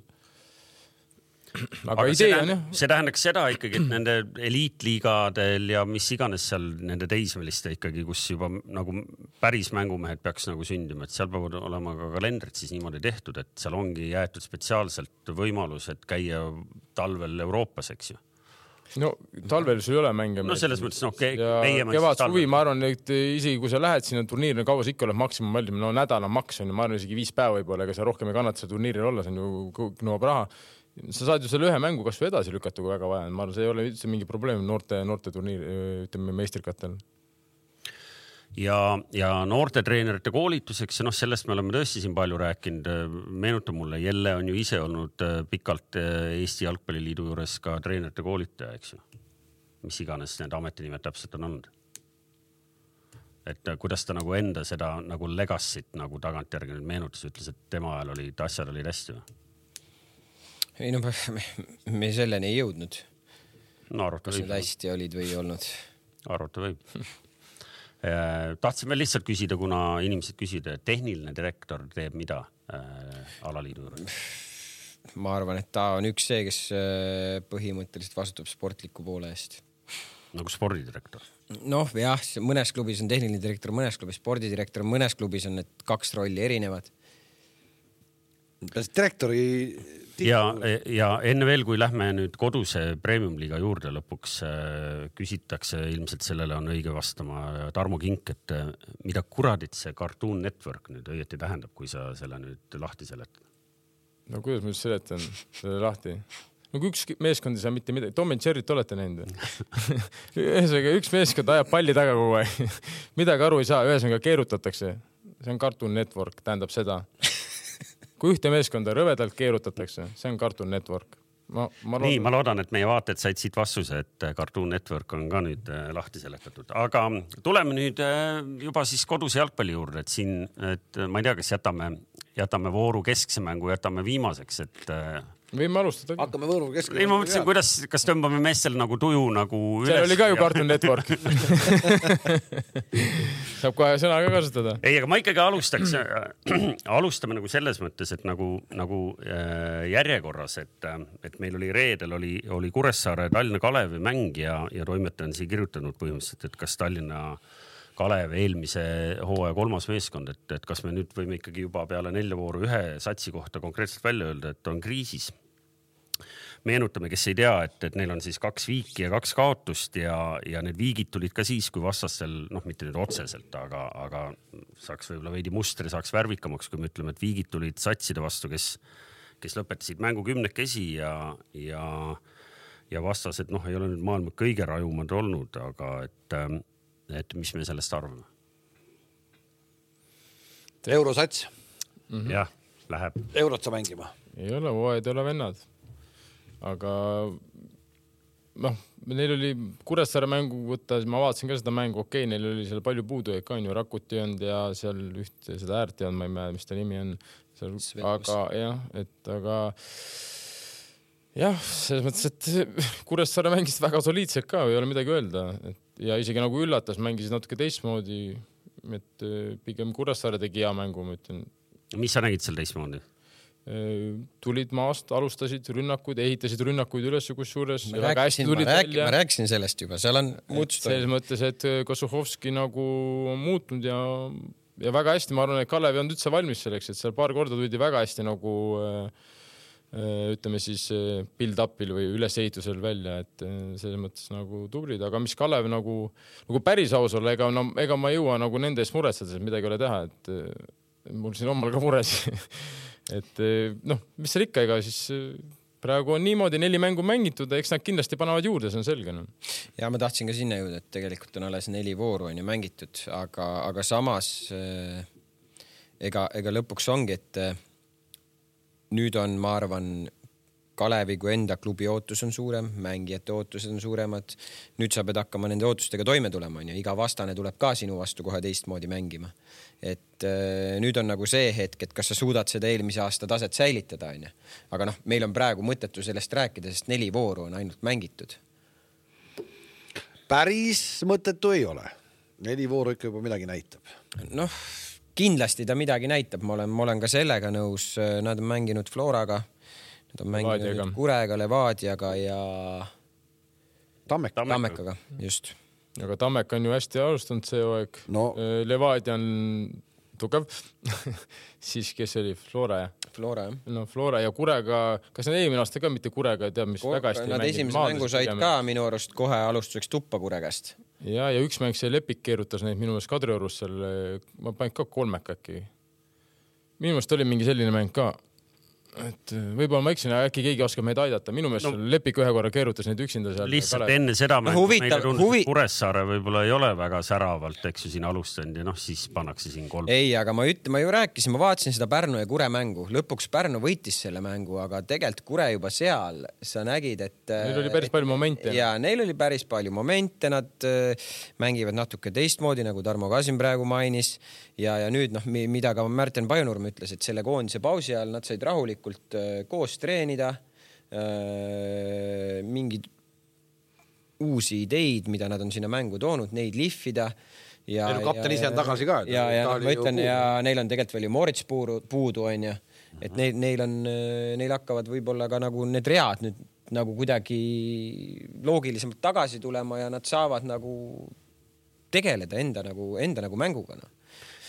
Aga idee on jah. See tähendaks seda ikkagi, et nende eliitliigadel ja mis iganes seal nende teismeliste ikkagi, kus juba nagu päris mängumehed peaks nagu sündima, et seal peavad olema ka kalendrid siis niimoodi tehtud, et seal ongi jäetud spetsiaalselt võimalus, et käia talvel Euroopas, eks ju. No talvel sul ei ole mänge. No selles mõttes, kevad suvi, ma arvan, et isegi kui sa lähed sinna turniirina, kaua sa ikka oled maksimum valdim, nädala maks on, ma arvan isegi 5 päeva võib-olla, ega sa rohkem ei kannata seal turniiril olla, see on ju nõuab raha. Sa saad ju selle ühe mängu kas või edasi lükata, kui väga vaja. Ma arvan, see ei ole üldse mingi probleem noorte turniir, ütleme meistrikatel. Ja noorte treenerite koolituseks, sellest me oleme tõesti siin palju rääkinud. Meenutab mulle, Jelle on ju ise olnud pikalt Eesti Jalgpalliliidu juures ka treenerite koolitaja, eks ju. Mis iganes need ametinimed täpselt on olnud. Et kuidas ta nagu enda seda nagu legassit nagu tagantjärgi nüüd meenutas, ütles, et tema ajal asjad olid hästi või? Ei me selleni ei jõudnud. Kas need hästi olid või ei olnud? Arvata võib. Tahtsime lihtsalt küsida, kuna inimesed küsida, tehniline direktor teeb mida alaliidu juures? Ma arvan, et ta on üks see, kes põhimõtteliselt vastutab sportliku poole eest. Nagu spordidirektor? Jah, mõnes klubis on tehniline direktor, mõnes klubis spordidirektor, mõnes klubis on need 2 rolli erinevad. Direktori ja enne veel, kui lähme nüüd koduse premium-liiga juurde lõpuks, küsitakse, ilmselt sellele on õige vastama Tarmo Kink, et mida kuradit see Cartoon Network nüüd õieti tähendab, kui sa selle nüüd lahti seletad? No kuidas ma just seletan selle lahti? No kui üks meeskond ei saa mitte midagi, Tom and Jerry't olete näinud. Ühesõnaga, üks meeskond ajab palli taga kogu aeg. Midagi aru ei saa, ühesõnaga keerutatakse. See on Cartoon Network, tähendab seda. Kui ühte meeskonda rõvedalt keerutatakse, see on Cartoon Network. Ma loodan, et meie vaated said siit vastuse, et Cartoon Network on ka nüüd lahti seletatud. Aga tuleme nüüd juba siis koduse jalgpalli juurde, et siin, et ma ei tea, kas jätame vooru keskse mängu, jätame viimaseks, et võime alustada. Hakkame võõru keskele. Ei, ma mõtlesin, kas tõmbame meestel nagu tuju nagu üles. See oli ka ju Cartoon Network. Saab kohe sõna ka kasutada. Ei, aga ma ikkagi alustame nagu selles mõttes, et nagu järjekorras, et meil oli reedel oli Kuressaare Tallinna Kalevi mäng ja toimetaja on siia kirjutanud põhimõtteliselt, et kas Tallinna Kalev eelmise hooaja 3. meeskond, et kas me nüüd võime ikkagi juba peale 4 vooru ühe satsi kohta konkreetselt välja öelda, et on kriisis. Meenutame, kes ei tea, et neil on siis 2 viiki ja 2 kaotust ja need viigid tulid ka siis, kui vastastel, mitte nüüd otseselt, aga saaks võib-olla veidi mustri, saaks värvikamaks, kui me ütleme, et viigid tulid satside vastu, kes lõpetasid mängu 10-kesi ja vastased, ei ole nüüd maailma kõige rajumad olnud, aga et mis me sellest arvame? Eurosats. Jah, läheb. Eurot sa mängima. Ei ole, hooajad ei ole vennad. Aga neil oli Kuressaare mängu võtta, ma vaatasin ka seda mängu, okei, neil oli seal palju puudu, ka on ju Rakuti olnud ja seal ühte seda äärti on, ma ei mäleta, mis ta nimi on. Aga selles mõttes, et Kuressaare mängis väga soliidselt ka, ei ole midagi öelda. Ja isegi nagu üllatas, mängisid natuke teistmoodi, et pigem Kuressaare tegi hea mängu, ma ütlen. Mis sa nägid seal teistmoodi? Tulid maast, alustasid rünnakuid, ehitasid rünnakuid üles kusjuures. Ma rääkisin sellest juba, seal on muutus. Selles mõttes, et Kosuhovski nagu on muutnud ja väga hästi, ma arvan, et Kalev on üldse valmis selleks, et seal paar korda tuldi väga hästi nagu ütleme siis build-upil või ülesehitusel välja, et selles mõttes nagu tublid, aga mis Kalev nagu päris aus olla, ega ma ei jõua nagu nende eest muretseda, midagi ei ole teha, et mul siin omal ka mures. Et mis seal ikka, ega siis praegu on niimoodi 4 mängu mängitud, eks nad kindlasti panevad juurde, see on selge. Ja ma tahtsin ka sinna jõuda, et tegelikult on alles 4 vooru on ju mängitud, aga samas ega lõpuks ongi, et nüüd on, ma arvan, Kalevi kui enda klubi ootus on suurem, mängijate ootused on suuremad. Nüüd sa pead hakkama nende ootustega toime tulema, ja iga vastane tuleb ka sinu vastu kohe teistmoodi mängima. Et nüüd on nagu see hetk, et kas sa suudad seda eelmise aasta taset säilitada, on ju. Aga meil on praegu mõttetu sellest rääkida, sest 4 vooru on ainult mängitud. Päris mõttetu ei ole. 4 vooru ikka juba midagi näitab. Kindlasti ta midagi näitab. Ma olen ka sellega nõus. Nad on mänginud Floraga, nad on mänginud Kurega, Levadiaga ja Tammekaga, just. Aga Tammek on ju hästi alustanud see aeg. Levadia on tugev. Siis kes oli? Flora, jah? Flora, jah. Flora ja Kurega, kas nad eelmine aasta ka mitte Kurega, teab, mis väga hästi nad esimese mängu said ka minu arust kohe alustuseks tuppa Kuregast. Ja üks mäng see Lepik keerutas neid minu meelest Kadriorus seal, ma panin ka 3 äkki. Minu meelest oli mingi selline mäng ka. Et võib-olla ma eksin, äkki keegi oskab meid aidata. Minu meelest Lepik ühe korra keerutas neid üksinda seal. Lihtsalt enne seda mängu meile tundus, et Kuressaare võib-olla ei ole väga säravalt, eks ju siin alustanud ja siis pannakse siin 3. Ei, aga ma ju rääkisin, ma vaatasin seda Pärnu ja Kure mängu. Lõpuks Pärnu võitis selle mängu, aga tegelikult Kure juba seal sa nägid, et neil oli päris palju momente. Ja neil oli päris palju momente, nad mängivad natuke teistmoodi, nagu Tarmo Kasin praegu mainis. Ja nüüd, mida ka Märten Pajunurm ütles, et selle koondise pausi ajal nad said rahulikult koos treenida, mingid uusi ideid, mida nad on sinna mängu toonud, neid lihvida. Ja kapten ise on tagasi ka. Ja ma ütlen, ja neil on tegelikult veel ju Moritz puudu, on ju. Et neil hakkavad võib-olla ka nagu need read nüüd nagu kuidagi loogilisemalt tagasi tulema ja nad saavad nagu tegeleda enda nagu mänguga.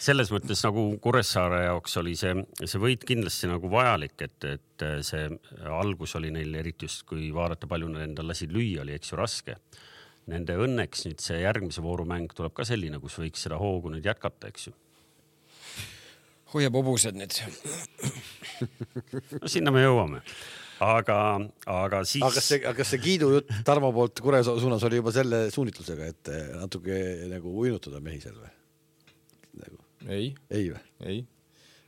selles mõttes nagu Kuressaare jaoks oli see võit kindlasti nagu vajalik, et see algus oli neil eriti just, kui vaadata palju nad endal lasid lüüa, oli eks ju raske. Nende õnneks nüüd see järgmise voorumäng tuleb ka selline, kus võiks seda hoogu nüüd jätkata, eks ju. Hoiab hobused nüüd. No sinna me jõuame. Aga siis... Aga kas see kiidujutt Tarmo poolt Kure suunas oli juba selle suunitlusega, et natuke nagu uinutada mehi seal või? Nagu. Ei või? Ei.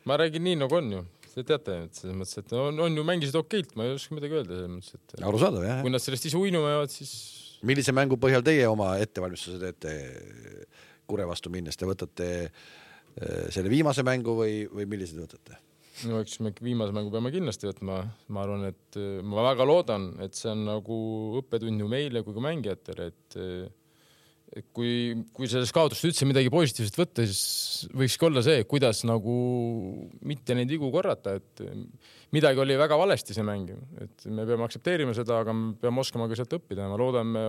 Ma räägin nii, nagu on ju. Te teate, et selles mõttes, et on ju mängisid okeilt, ma ei oska midagi öelda selles mõttes, et... Arusaadav, jah. Kui nad sellest ise uinumevad, siis... Millise mängu põhjal teie oma ettevalmistuse teete Kure vastu minnes? Te võtate selle viimase mängu või millised võtate? No eks me viimase mängu peame kindlasti võtma. Ma arvan, et ma väga loodan, et see on nagu õppetund ju meile kui ka mängijatele, et kui sellest kaotust üldse midagi positiivset võtta, siis võikski olla see, kuidas nagu mitte neid vigu korrata, et midagi oli väga valesti see mäng, et me peame aktsepteerima seda, aga me peame oskama ka sealt õppida. Ma loodan, me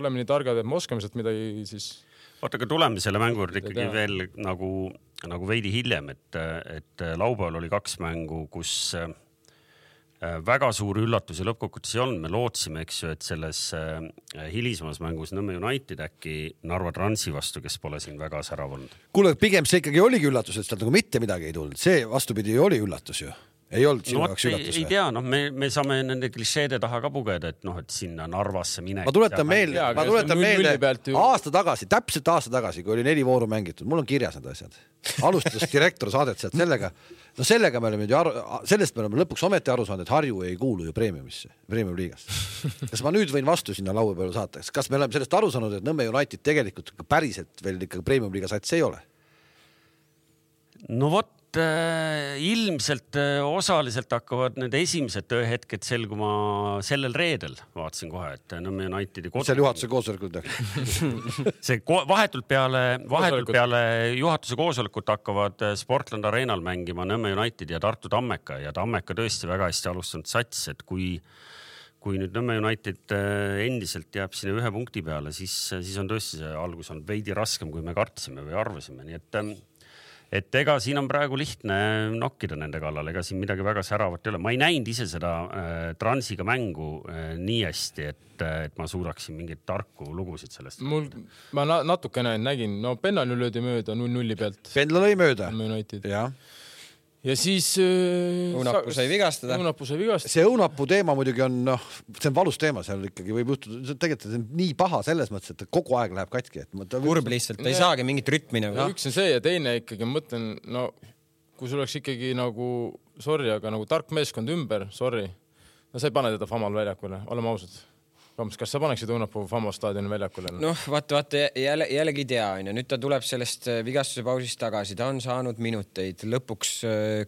oleme nii targad, et me oskame sealt midagi siis... Oota, aga tuleme selle mängu ikkagi veel nagu veidi hiljem, et laupäeval oli 2 mängu, kus väga suur üllatus ja lõppkokkuvõttes ei olnud. Me lootsime, eks ju, et selles hilisemas mängus Nõmme United äkki Narva Transi vastu, kes pole siin väga särav olnud. Kuule, pigem see ikkagi oligi üllatus, et sealt nagu mitte midagi ei tulnud. See vastupidi oli üllatus ju. Ei olnud sinu jaoks üllatus. Ei tea, me saame nende klišeede taha ka pugeda, et et sinna Narvasse minek. Ma tuletan meelde täpselt aasta tagasi, kui oli 4 vooru mängitud. Mul on kirjas need asjad. Alustades direktor saadet sealt sellega me oleme sellest me oleme lõpuks ometi aru saanud, et Harju ei kuulu ju Premium liigast. Kas ma nüüd võin vastu sinna laua peale saata? Kas me oleme sellest aru saanud, et Nõmme United tegelikult päriselt veel ikka Premium liiga sats ei ole? No vot, ilmselt osaliselt hakkavad need esimesed tööhetked selguma sellel reedel. Vaatasin kohe, et Nõmme Unitedi seal juhatuse koosolekul see vahetult peale juhatuse koosolekut hakkavad Sportland Arenal mängima Nõmme United ja Tartu Tammeka ja Tammeka tõesti väga hästi alustanud sats, et kui nüüd Nõmme United endiselt jääb sinna 1 punkti peale, siis on tõesti see algus on veidi raskem, kui me kartsime või arvasime, nii et ega siin on praegu lihtne nokkida nende kallal, ega siin midagi väga säravat ei ole. Ma ei näinud ise seda Transiga mängu nii hästi, et ma suudaksin mingeid tarku lugusid sellest. Ma natuke nägin, no Pennal löödi mööda 0-0 pealt. Pendla lõi mööda. Jah. Ja siis... Õunapuu sai vigastada. See õunapuu teema muidugi on, see on valus teema, seal ikkagi võib juhtuda, tegelikult on nii paha selles mõttes, et kogu aeg läheb katki. Kurb lihtsalt, ei saagi mingit rütmi nagu. Üks on see ja teine ikkagi, ma mõtlen, kui sul oleks ikkagi nagu, aga nagu tark meeskond ümber, sa ei pane teda Famal väljakule, oleme ausad. Kas sa paneksid õunapuu Famo staadioni väljakule? Vaata, jällegi tea. Nüüd ta tuleb sellest vigastuse pausist tagasi. Ta on saanud minuteid. Lõpuks,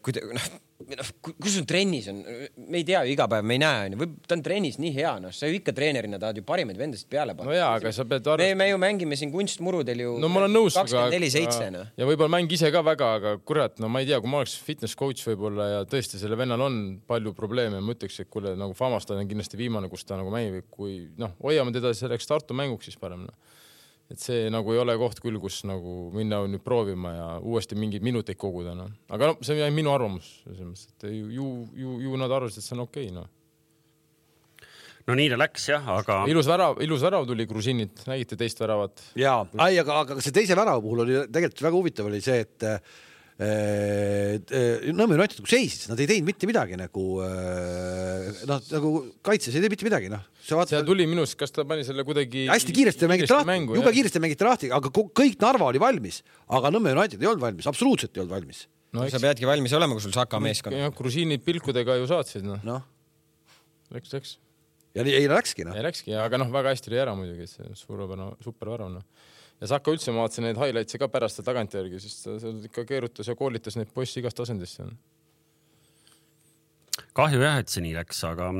kus on trennis on? Me ei tea ju iga päev, me ei näe. Ta on trennis nii hea. Sa ju ikka treenerina tahad ju parimaid vendasid peale panna. No jaa, aga sa pead me ju mängime siin kunstmurudel ju 24/7. Ja võib-olla mäng ise ka väga, aga kurat, ma ei tea, kui ma oleks fitness coach võib-olla ja tõesti selle vennal on palju probleeme. Ma ütleks, et kuule, nagu Famastad on kindlasti viimane, kus ta nagu mängib, kui hoiame teda selleks Tartu mänguks siis parem. Et see nagu ei ole koht küll, kus nagu minna nüüd proovima ja uuesti mingeid minuteid koguda. Aga see on minu arvamus. Ju nad arvasid, et see on okei. No nii ta läks jah, aga... Ilus värav tuli Gruzinit, nägite teist väravat? Jaa, aga see teise värava puhul oli tegelikult väga huvitav oli see, et Nõmme United kui seisis, nad ei teinud mitte midagi nagu kaitses ei teinud mitte midagi. See tuli minust, kas ta pani selle kuidagi... Hästi kiiresti mängiti lahti, aga kõik Narva oli valmis, aga Nõmme United ei olnud valmis, absoluutselt ei olnud valmis. Sa peadki valmis olema, kui sul Saka meeskond. Grusiinid pilkudega ju saatsid. Läks. Ja ei läkski. Ei läkski, aga väga hästi oli ära muidugi, see super värv. Ja Saka üldse ma vaatasin neid highlightse ka pärast tagantjärgi, siis ta ikka keerutas ja koolitas neid poissi igast asendisse. Kahju jah, et see nii läks, aga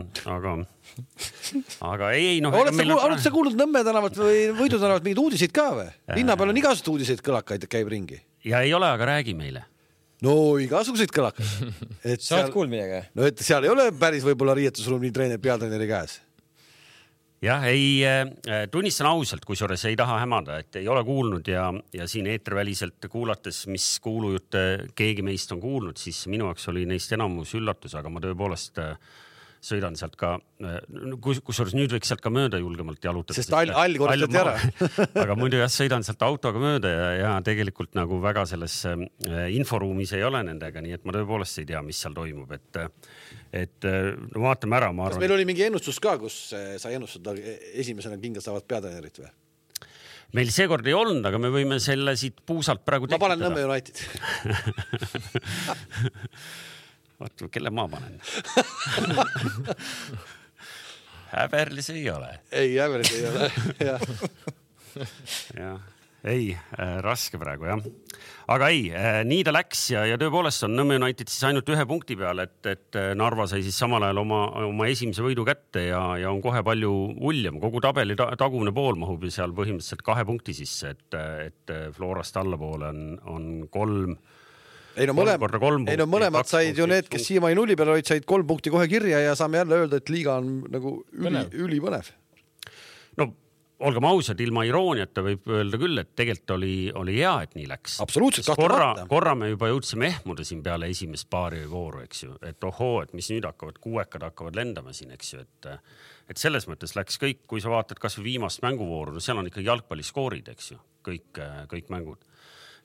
ei. Oled sa kuulnud Nõmme tänavat või Võidu tänavat mingid uudiseid ka või? Linna peal on igasugused uudiseid kõlakaid käib ringi. Ja ei ole, aga räägi meile. No igasuguseid kõlakaid. Sa oled kuulnud midagi? No et seal ei ole päris võib-olla riietusruum nii peatreeneri käes. Jah, tunnistan ausalt, kusjuures ei taha hämada, et ei ole kuulnud ja siin eeterväliselt kuulates, mis kuulujutte keegi meist on kuulnud, siis minu jaoks oli neist enamus üllatus, aga ma tõepoolest sõidan sealt ka, kusjuures nüüd võiks sealt ka mööda julgemalt jalutada. Sest all korrastati ära. Aga muidu jah, sõidan sealt autoga mööda ja tegelikult nagu väga selles inforuumis ei ole nendega, nii et ma tõepoolest ei tea, mis seal toimub, et no vaatame ära, ma arvan. Kas meil oli mingi ennustus ka, kus sai ennustada esimesena kinga saavad peatreenerit või? Meil seekord ei olnud, aga me võime selle siit puusalt praegu tekitada. Ma panen Nõmme United. Vaata, kelle ma panen? Häberlis ei ole. Ei, Häberlis ei ole. Ja. Ei, raske praegu, jah. Aga ei, nii ta läks ja tõepoolest on Nõmme United siis ainult 1 punkti peal, et Narva sai siis samal ajal oma esimese võidu kätte ja on kohe palju uljem. Kogu tabeli tagumine pool mahub seal põhimõtteliselt 2 punkti sisse, et Florast allapoole on 3. Ei no mõlemad said ju need, kes siiamaani 0 peal olid, said 3 punkti kohe kirja ja saame jälle öelda, et liiga on nagu ülipõnev. No olgem ausad, ilma irooniata võib öelda küll, et tegelikult oli hea, et nii läks. Absoluutselt, korra me juba jõudsime ehmuda siin peale esimest paari vooru, eks ju, et ohoo, et mis nüüd kuuekad hakkavad lendama siin, eks ju, et selles mõttes läks kõik, kui sa vaatad kas või viimast mänguvooru, no seal on ikkagi jalgpalliskoorid, eks ju, kõik mängud.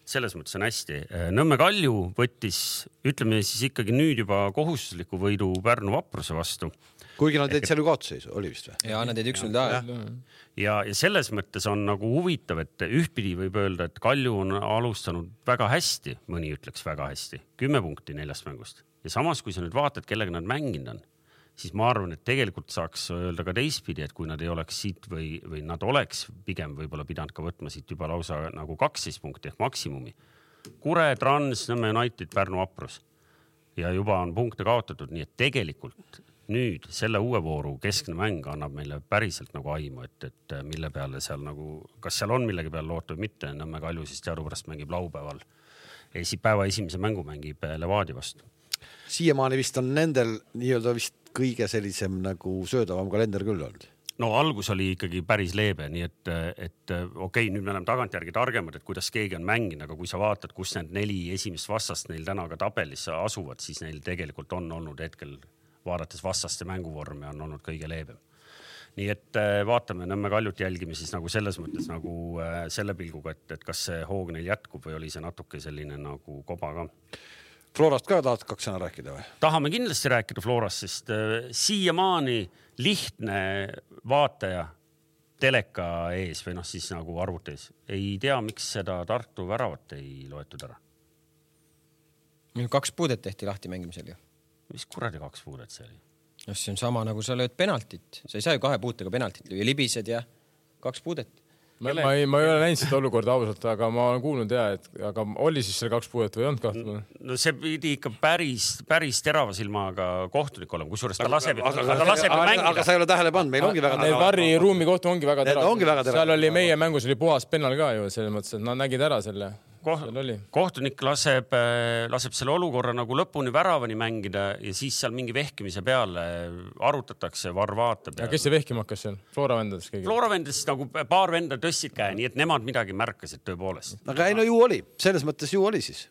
Selles mõttes on hästi. Nõmme Kalju võttis, ütleme siis ikkagi nüüd juba kohustusliku võidu Pärnu Vapruse vastu. Kuigi nad teed seal ju kaotusseisu, oli vist või? Ja nad teed 1-0 ja selles mõttes on nagu huvitav, et ühtpidi võib öelda, et Kalju on alustanud väga hästi, mõni ütleks väga hästi, 10 punkti 4 mängust. Ja samas, kui sa nüüd vaatad, kellega nad mänginud on, siis ma arvan, et tegelikult saaks öelda ka teistpidi, et kui nad ei oleks siit või nad oleks pigem võib-olla pidanud ka võtma siit juba lausa nagu 12 punkti ehk maksimumi. Kure, Trans, Nõmme United, Pärnu Vaprus. Ja juba on punkte kaotatud, nii et tegelikult nüüd selle uue vooru keskne mäng annab meile päriselt nagu aimu, et mille peale seal nagu, kas seal on millegi peale loota või mitte, Nõmme Kalju siis teadupärast mängib laupäeval. Päeva esimese mängu mängib Levadia vastu. Siiamaani vist on nendel nii-öelda vist kõige sellisem nagu söödavam kalender küll olnud. No algus oli ikkagi päris leebe, nii et okei, nüüd me oleme tagantjärgi targemad, et kuidas keegi on mänginud, aga kui sa vaatad, kus need 4 esimest vastast neil täna ka tabelisse asuvad, siis neil tegelikult on olnud hetkel, vaadates vastaste mänguvormi, on olnud kõige leebem. Nii et vaatame, Nõmme Kaljut jälgime siis nagu selles mõttes nagu selle pilguga, et kas see hoog neil jätkub või oli see natuke selline nagu koba ka. Florast ka tahad 2 sõna rääkida või? Tahame kindlasti rääkida Florast, sest siiamaani lihtne vaataja teleka ees või siis nagu arvutis ei tea, miks seda Tartu väravat ei loetud ära. 2 puudet tehti lahti mängimisel ju. Mis kuradi 2 puudet see oli? No see on sama nagu sa lööd penaltit. Sa ei saa ju 2 puutega penaltit lüüa, libised ja 2 puudet. Ma ei ole näinud seda olukorda ausalt, aga ma olen kuulnud aga oli siis selle 2 puudet või ei olnud kahtlema? No see pidi ikka päris terava silmaga kohtunik olema, kusjuures ta laseb mängida. Aga sa ei ole tähele pannud, meil ongi väga terava. Varri ruumi kohtu ongi väga terava. Seal oli meie mängus oli puhas pennal ka ju, selles mõttes, et nad nägid ära selle. Kohtunik laseb selle olukorra nagu lõpuni väravani mängida ja siis seal mingi vehkimise peale arutatakse, VAR vaatab. Ja kes see vehkima hakkas seal? Flora vendades keegi? Flora vendades nagu paar venda tõstsid käe, nii et nemad midagi märkasid tõepoolest. Aga ei, no ju oli. Selles mõttes ju oli siis.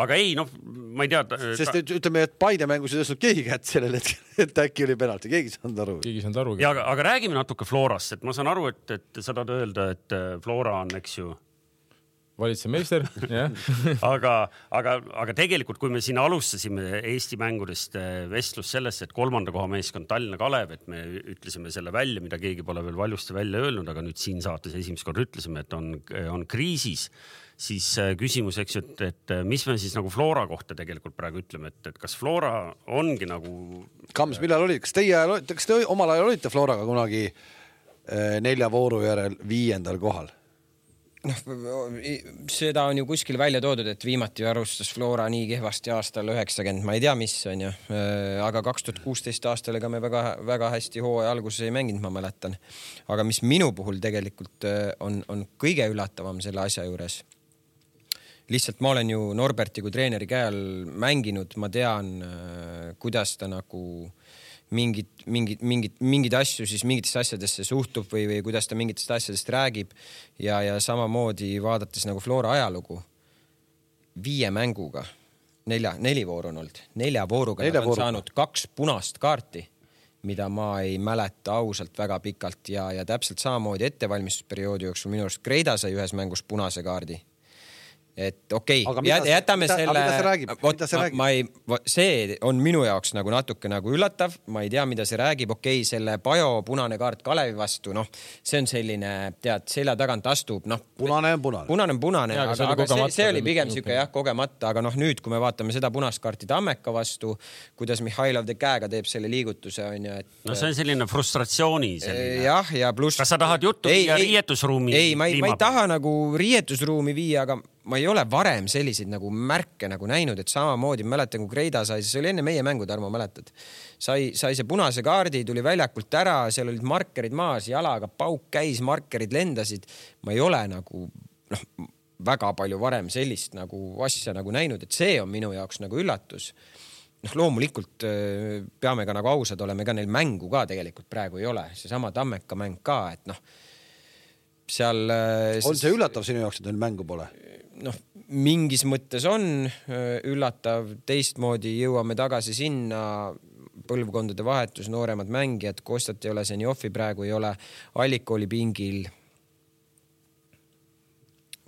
Aga ei, ma ei tea. Sest ütleme, et Paide mängus ei tõstnud keegi kätt sellele, et äkki oli penalti. Keegi saanud aru. Ja, aga räägime natuke Florast, et ma saan aru, et sa tahad öelda, et Flora on, eks ju, valitsemeister, jah. aga tegelikult, kui me siin alustasime Eesti mängudest vestlus sellest, et 3. koha meeskond Tallinna Kalev, et me ütlesime selle välja, mida keegi pole veel valjusti välja öelnud, aga nüüd siin saates esimest kord ütlesime, et on kriisis, siis küsimus, eks ju, et mis me siis nagu Flora kohta tegelikult praegu ütleme, et kas Flora ongi nagu... Kams, millal oli? Kas te omal ajal olite Floraga kunagi 4 vooru järel 5. kohal? Seda on ju kuskil välja toodud, et viimati arvustas Flora nii kehvasti aastal 90, ma ei tea, mis on ju, aga 2016 aastal ega me väga hästi hooaja alguses ei mänginud, ma mäletan. Aga mis minu puhul tegelikult on kõige üllatavam selle asja juures. Lihtsalt ma olen ju Norberti kui treeneri käel mänginud, ma tean, kuidas ta nagu mingid asju siis mingitesse asjadesse suhtub või kuidas ta mingitest asjadest räägib ja samamoodi vaadates nagu Flora ajalugu 5 mänguga, 4 vooru on olnud, 4 vooruga nad on saanud 2 punast kaarti, mida ma ei mäleta ausalt väga pikalt ja täpselt samamoodi ettevalmistusperioodi jooksul minu arust Kreida sai ühes mängus punase kaardi. Et okei, jätame selle, see on minu jaoks nagu natuke nagu üllatav, ma ei tea, mida see räägib, okei, selle Pajo punane kaart Kalevi vastu, see on selline, tead, selja tagant astub, punane on punane, aga see oli pigem siuke kogemata, aga nüüd, kui me vaatame seda punast kaarti Tammeka vastu, kuidas Mihhailov de käega teeb selle liigutuse, on ju, et no see on selline frustratsiooni selline. Jah, ja pluss kas sa tahad juttu viia riietusruumi? Ei, ma ei taha nagu riietusruumi viia, aga ma ei ole varem selliseid nagu märke nagu näinud, et samamoodi mäletan, kui Kreida sai, see oli enne meie mängu, Tarmo, mäletad? Sai see punase kaardi, tuli väljakult ära, seal olid markerid maas, jalaga pauk käis, markerid lendasid. Ma ei ole nagu väga palju varem sellist nagu asja nagu näinud, et see on minu jaoks nagu üllatus. Loomulikult peame ka nagu ausad olema, ega neil mängu ka tegelikult praegu ei ole. See sama Tammeka mäng ka, et seal... On see üllatav sinu jaoks, et neil mängu pole? Mingis mõttes on üllatav, teistmoodi jõuame tagasi sinna, põlvkondade vahetus, nooremad mängijad, Kostat ei ole, Senjoffi praegu ei ole, Allik oli pingil.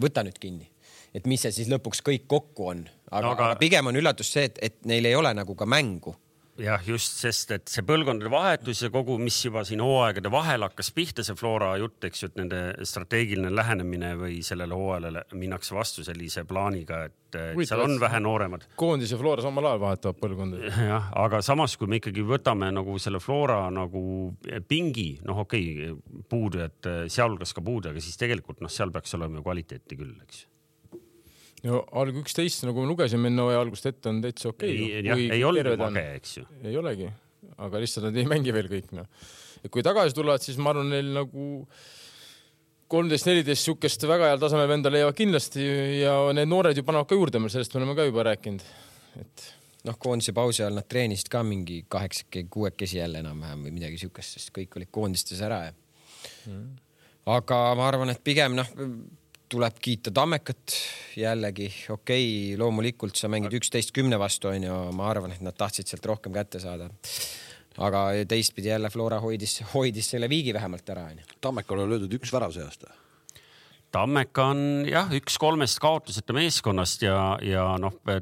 Võta nüüd kinni, et mis see siis lõpuks kõik kokku on, aga pigem on üllatus see, et neil ei ole nagu ka mängu. Jah, just, sest et see põlvkondade vahetus ja kogu, mis juba siin hooaegade vahel hakkas pihta, see Flora jutt, eks ju, et nende strateegiline lähenemine või sellele hooajale minnakse vastu sellise plaaniga, et seal on vähe nooremad. Koondis ja Flora samal ajal vahetavad põlvkondade. Jah, aga samas, kui me ikkagi võtame nagu selle Flora nagu pingi, okei, puudujad, sealhulgas ka puudu, aga siis tegelikult seal peaks olema ju kvaliteeti küll, eks. No alg 11, nagu me lugesime enne hooaja algust ette, on täitsa okei. Ei olnud mage, eks ju. Ei olegi, aga lihtsalt nad ei mängi veel kõik. Ja kui tagasi tulevad, siis ma arvan, neil nagu 13-14 sukest väga heal tasemel venda leiavad kindlasti ja need noored ju panevad ka juurde, sellest me oleme ka juba rääkinud. Et... koondise pausi all nad treenisid ka mingi 8-6 jälle enam-vähem või midagi sukest, sest kõik olid koondistes ära. Aga ma arvan, et pigem tuleb kiita Tammekat jällegi. Okei, loomulikult sa mängid 11-10 vastu, on ju, ma arvan, et nad tahtsid sealt rohkem kätte saada. Aga teistpidi jälle Flora hoidis selle viigi vähemalt ära. Tammekal on löödud 1 värav see aasta. Tammeka on 1-3 kaotuseta meeskonnast ja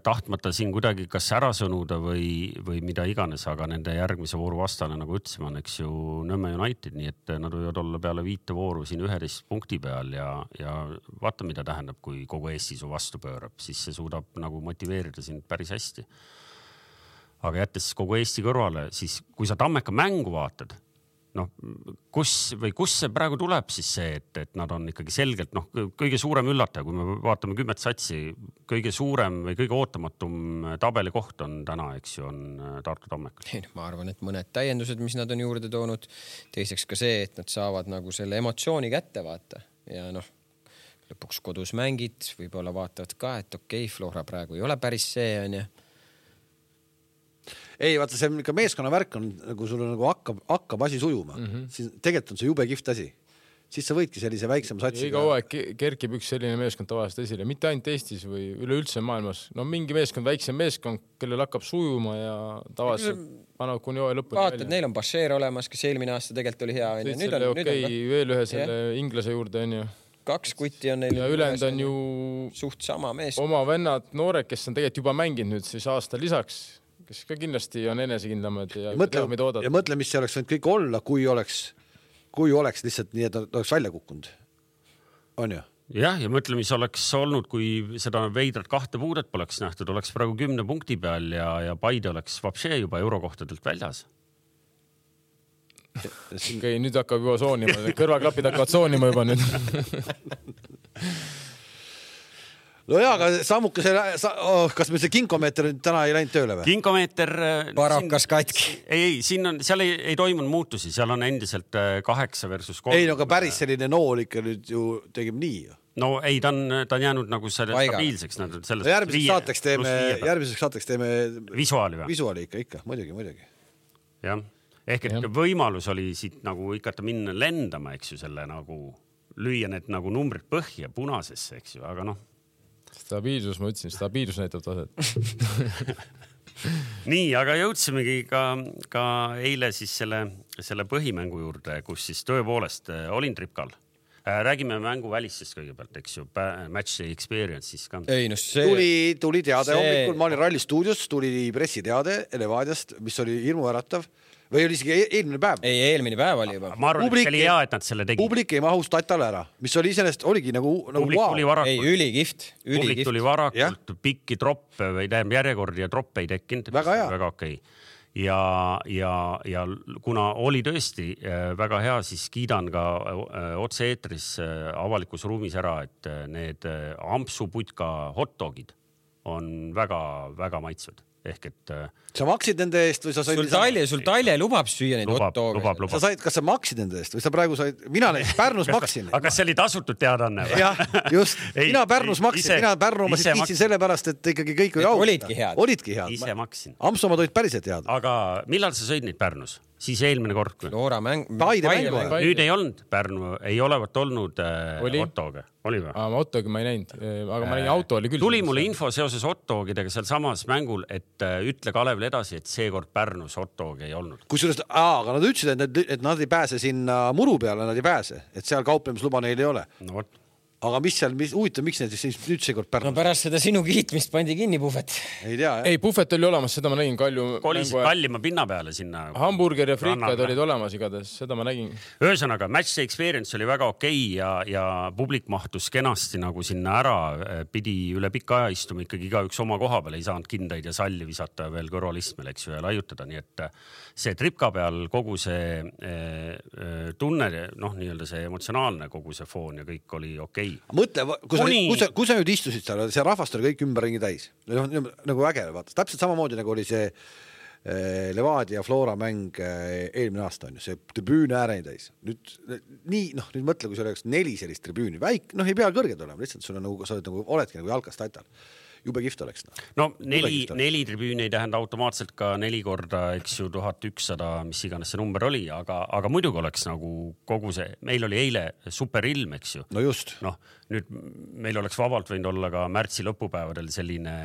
tahtmata siin kuidagi kas ära sõnuda või mida iganes, aga nende järgmise vooru vastane, nagu ütlesime, on eks ju Nõmme United, nii et nad võivad olla peale 5 vooru siin 11 punkti peal ja vaata, mida tähendab, kui kogu Eesti su vastu pöörab, siis see suudab nagu motiveerida sind päris hästi. Aga jättes kogu Eesti kõrvale, siis kui sa Tammeka mängu vaatad, kus see praegu tuleb siis see, et nad on ikkagi selgelt, kõige suurem üllataja, kui me vaatame 10 satsi, kõige suurem või kõige ootamatum tabeli koht on täna, eks ju, on Tartu Tammekal. Ma arvan, et mõned täiendused, mis nad on juurde toonud, teiseks ka see, et nad saavad nagu selle emotsiooni kätte vaata ja lõpuks kodus mängid, võib-olla vaatavad ka, et okei, Flora praegu ei ole päris see, on ju. Ei, vaata, see ka meeskonna värk on, nagu sul nagu hakkab asi sujuma. Siis tegelikult on see jube kihvt asi. Siis sa võidki sellise väiksema satsi. Iga hooaeg kerkib üks selline meeskond tavaliselt esile. Mitte ainult Eestis või üleüldse maailmas. Mingi meeskond, väiksem meeskond, kellel hakkab sujuma ja tavaliselt paneb kuni hooaja lõpuni. Vaatad, neil on Bashir olemas, kes eelmine aasta tegelikult oli hea. Veel ühe selle inglase juurde on ju. 2 kutti on neil. Ja ülend on ju suht sama meeskond. Oma vennad, noored, kes on tegelikult juba mänginud nüüd siis aasta lisaks, kes ka kindlasti on enesekindlamad ja mõtle, mis see oleks võinud kõik olla, kui oleks lihtsalt nii, et oleks välja kukkunud. On ju? Jah, ja mõtle, mis oleks olnud, kui seda veidrat 2 puudet poleks nähtud, oleks praegu 10 punkti peal ja Paide oleks vapšee juba eurokohtadelt väljas. Okei, nüüd hakkab juba soonima, kõrvaklapid hakkavad soonima juba nüüd. No jaa, aga sammuke kas me see kinkomeeter täna ei läinud tööle või? Kinkomeeter... Parakas katki. Seal ei toimunud muutusi, seal on endiselt 8 versus 3. Ei, aga päris selline nool ikka nüüd ju tegime nii ju. No ei, ta on jäänud nagu stabiilseks. Järgmiseks saateks teeme visuaali või? Visuaali ikka, muidugi. Jah. Ehk et võimalus oli siit nagu ikka minna lendama, eks ju, selle nagu lüüa need nagu numbrid põhja punasesse, eks ju, aga noh. Stabiilsus, ma ütlesin, stabiilsus näitab taset. Nii, aga jõudsimegi ka eile siis selle põhimängu juurde, kus siis tõepoolest olin Tripkal. Räägime mängu välistest kõigepealt, eks ju, match experience siis ka. Ei, no see... Tuli teade hommikul, ma olin Ralli stuudios, tuli pressiteade Levadiast, mis oli hirmuäratav. Või oli isegi eelmine päev? Ei, eelmine päev oli juba. Ma arvan, et see oli hea, et nad selle tegid. Publik ei mahus Tatale ära, mis oli sellest, oligi nagu wow. Ei, ülikift. Publik tuli varakult, pikki troppe või järjekordi ja troppe ei tekkinud. Väga okei. Ja kuna oli tõesti väga hea, siis kiidan ka otse-eetris avalikus ruumis ära, et need ampsuputka hotdogid on väga maitsvad. Ehk et sa maksid nende eest või sa said sul Talje lubab süüa neid hotdoge. Sa said, kas sa maksid nende eest või sa praegu said, mina näiteks Pärnus maksin. Aga kas see oli tasutud teadanne? Jah, just. Mina Pärnus maksin, mina Pärnu ma siis kiitsin selle pärast, et ikkagi kõik oli auta. Olidki head. Ise maksin. Amsomad olid päriselt head. Aga millal sa sõid neid Pärnus? Siis eelmine kord. Loora mäng. Nüüd ei olnud Pärnu, ei olevat olnud hotdoge. Oli või? Ma hotdogi ma ei näinud, aga ma nägin auto oli küll. Tuli mulle info seoses hotdogidega seal samas mängul, et ütle Kalevile edasi, et seekord Pärnus hotdogi ei olnud. Kusjuures, aga nad ütlesid, et nad ei pääse sinna muru peale, nad ei pääse, et seal kauplemisluba neil ei ole. No võt. Aga huvitav, miks need siis nüüd seekord Pärnus? No pärast seda sinu kiitmist pandi kinni Puhvet. Ei tea, jah. Ei, Puhvet oli olemas, seda ma nägin Kalju. Kolisid kallima pinna peale sinna. Hamburger ja frikad olid olemas igatahes, seda ma nägin. Ühesõnaga, match experience oli väga okei ja publik mahtus kenasti nagu sinna ära. Pidi üle pika aja istuma ikkagi igaüks oma koha peale, ei saanud kindaid ja salli visata veel kõrvalistmel, eks ju, ja laiutada. Nii et see Tripka peal kogu see tunne, nii-öelda see emotsionaalne kogu see foon ja kõik oli okei. Mõtle, kui sa nüüd istusid seal, see rahvast oli kõik ümberringi täis. Nagu äge, vaata. Täpselt samamoodi nagu oli see Levadia Flora mäng eelmine aasta on ju, see tribüüne ääreni täis. Nüüd mõtle, kui see oleks 4 sellist tribüüni. Ei pea kõrged olema, lihtsalt sul on nagu, sa oledki nagu jalkas Tatal. Jube kift oleks. No 4 tribüüni ei tähenda automaatselt ka 4 korda, eks ju, 1100, mis iganes see number oli, aga muidugi oleks nagu kogu see, meil oli eile superilm, eks ju. No just. Nüüd meil oleks vabalt võinud olla ka märtsi lõpupäevadel selline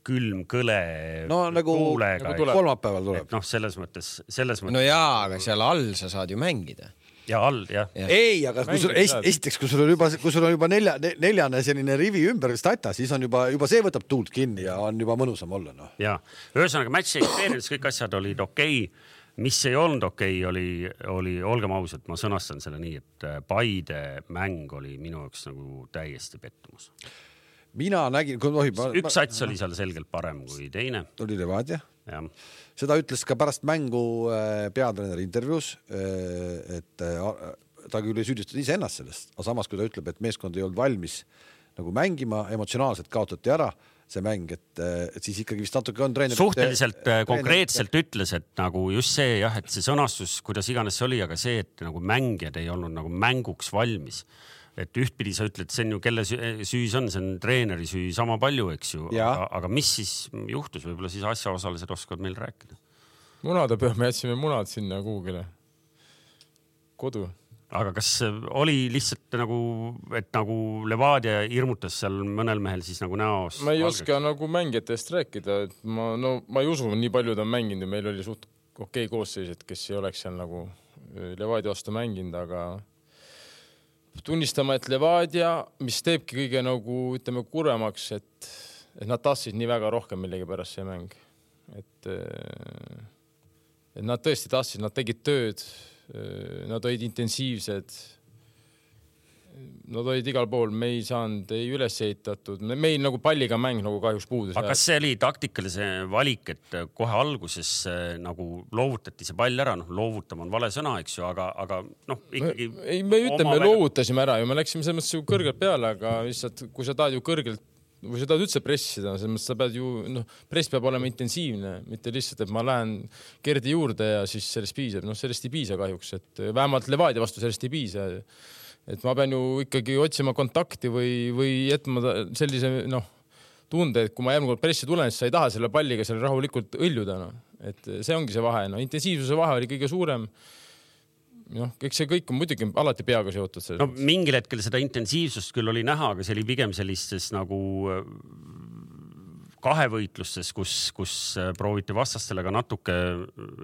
külm kõle. No nagu kolmapäeval tuleb. Selles mõttes. No jaa, aga seal all sa saad ju mängida. Ja all, jah. Ei, aga esiteks, kui sul on juba neljane selline rivi ümber Stata, siis on juba see võtab tuult kinni ja on juba mõnusam olla. No. Ja, ühesõnaga match experience, kõik asjad olid okei. Mis ei olnud okei, oli olgem ausalt, ma sõnastan selle nii, et Paide mäng oli minu jaoks nagu täiesti pettumus. Mina nägin, kui tohib. Üks sats oli seal selgelt parem kui teine. Oli Levadia. Ja. Seda ütles ka pärast mängu peatreeneri intervjuus, et ta küll ei süüdistada ise ennast sellest, aga samas kui ta ütleb, et meeskond ei olnud valmis nagu mängima, emotsionaalselt kaotati ära see mäng, et siis ikkagi vist natuke on treener. Suhteliselt konkreetselt ütles, et nagu just see, jah, et see sõnastus, kuidas iganes see oli, aga see, et nagu mängijad ei olnud nagu mänguks valmis. Et ühtpidi sa ütled, see on ju kelle süü on, see on treeneri süü sama palju, eks ju, aga mis siis juhtus, võib-olla siis asjaosalised oskavad meil rääkida? Munade peal me jätsime munad sinna kuhugile kodu. Aga kas oli lihtsalt nagu, et nagu Levadia hirmutas seal mõnel mehel siis nagu näos? Ma ei oska nagu mängijatest rääkida, et ma ei usu, nii palju ta on mänginud ja meil oli suht okei koosseised, kes ei oleks seal nagu Levadia vastu mänginud, aga tunnistama, et Levadia, mis teebki kõige nagu, ütleme, kuremaks, et nad tahtsid nii väga rohkem millegi pärast see mäng. Et nad tõesti tahtsid, nad tegid tööd, nad olid intensiivsed, nad olid igal pool, me ei saanud, ei üles ehitatud, meil nagu palliga mäng nagu kahjuks puudus. Aga kas see oli taktikalise valik, et kohe alguses nagu loovutati see pall ära, loovutama on vale sõna, eks ju, aga ikkagi... Me ütleme, loovutasime ära ja me läksime selles mõttes kõrgelt peale, aga lihtsalt, kui sa tahad ju kõrgelt või sa tahad üldse pressida, selles mõttes sa pead ju, press peab olema intensiivne, mitte lihtsalt, et ma lähen Gerdi juurde ja siis sellest piisab. Sellest ei piisa kahjuks, et vähemalt Levadia vastu sellest ei piisa. Et ma pean ju ikkagi otsima kontakti või jätma sellise, tunde, et kui ma järgmine kord pressi tulen, siis sa ei taha selle palliga seal rahulikult õljuda. No. Et see ongi see vahe. No, intensiivsuse vahe oli kõige suurem. Eks see kõik on muidugi alati peaga seotud. No, mingil hetkel seda intensiivsust küll oli näha, aga see oli pigem sellistes nagu kahevõitlustes, kus prooviti vastastele ka natuke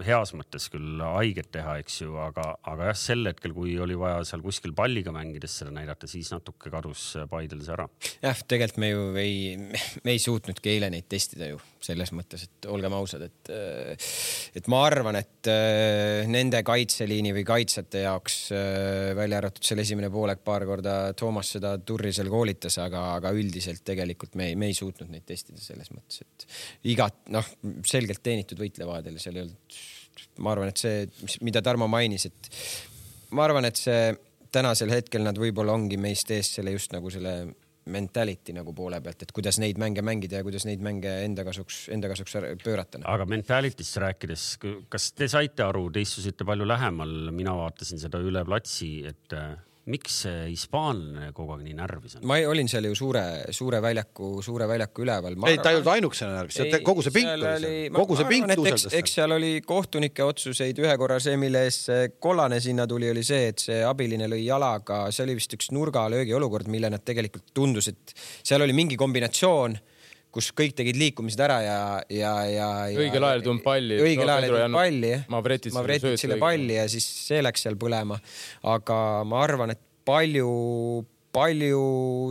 heas mõttes küll haiget teha, eks ju, aga jah, sel hetkel, kui oli vaja seal kuskil palliga mängides seda näidata, siis natuke kadus Paidel see ära. Jah, tegelikult me ju ei suutnudki eile neid testida ju selles mõttes, et olgem ausad, et ma arvan, et nende kaitseliini või kaitsjate jaoks välja arvatud selle esimene poolek paar korda Toomas seda turri seal koolitas, aga üldiselt tegelikult me ei suutnud neid testida selles mõttes, et igat, selgelt teenitud võitlevahedel seal ei olnud. Ma arvan, et see, mida Tarmo mainis, et ma arvan, et see tänasel hetkel nad võib-olla ongi meist ees selle just nagu selle mentality nagu poole pealt, et kuidas neid mänge mängida ja kuidas neid mänge enda kasuks pöörata. Aga mentalitist rääkides, kas te saite aru, te istusite palju lähemal, mina vaatasin seda üle platsi, et miks see hispaanlane kogu aeg nii närvis on? Ma olin seal ju suure väljaku üleval. Ei, ta ei olnud ainukesena närvis, kogu see pink tõuseldas. Eks seal oli kohtunike otsuseid ühe korra see, mille ees kollane sinna tuli, oli see, et see abiline lõi jalaga. See oli vist üks nurgalöögi olukord, mille nad tegelikult tundus, et seal oli mingi kombinatsioon, kus kõik tegid liikumised ära ja õigel ajal tulnud palli. Õigel ajal tulnud palli. Mavretitsile palli ja siis see läks seal põlema. Aga ma arvan, et palju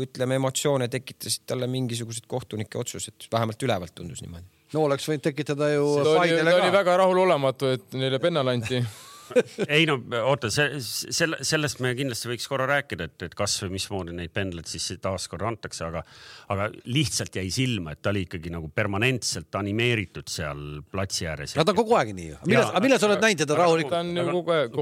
ütleme, emotsioone tekitasid talle mingisugused kohtunike otsused. Vähemalt ülevalt tundus niimoodi. No oleks võinud tekitada ju Paidele ka. Ta oli väga rahulolematu, et neile pennalanti. Ei oota, sellest me kindlasti võiks korra rääkida, et kas või mismoodi neid pendleid siis taas korra antakse, aga lihtsalt jäi silma, et ta oli ikkagi nagu permanentselt animeeritud seal platsi ääres. Ta on kogu aeg nii ju. Millal sa oled näinud teda rahulikult?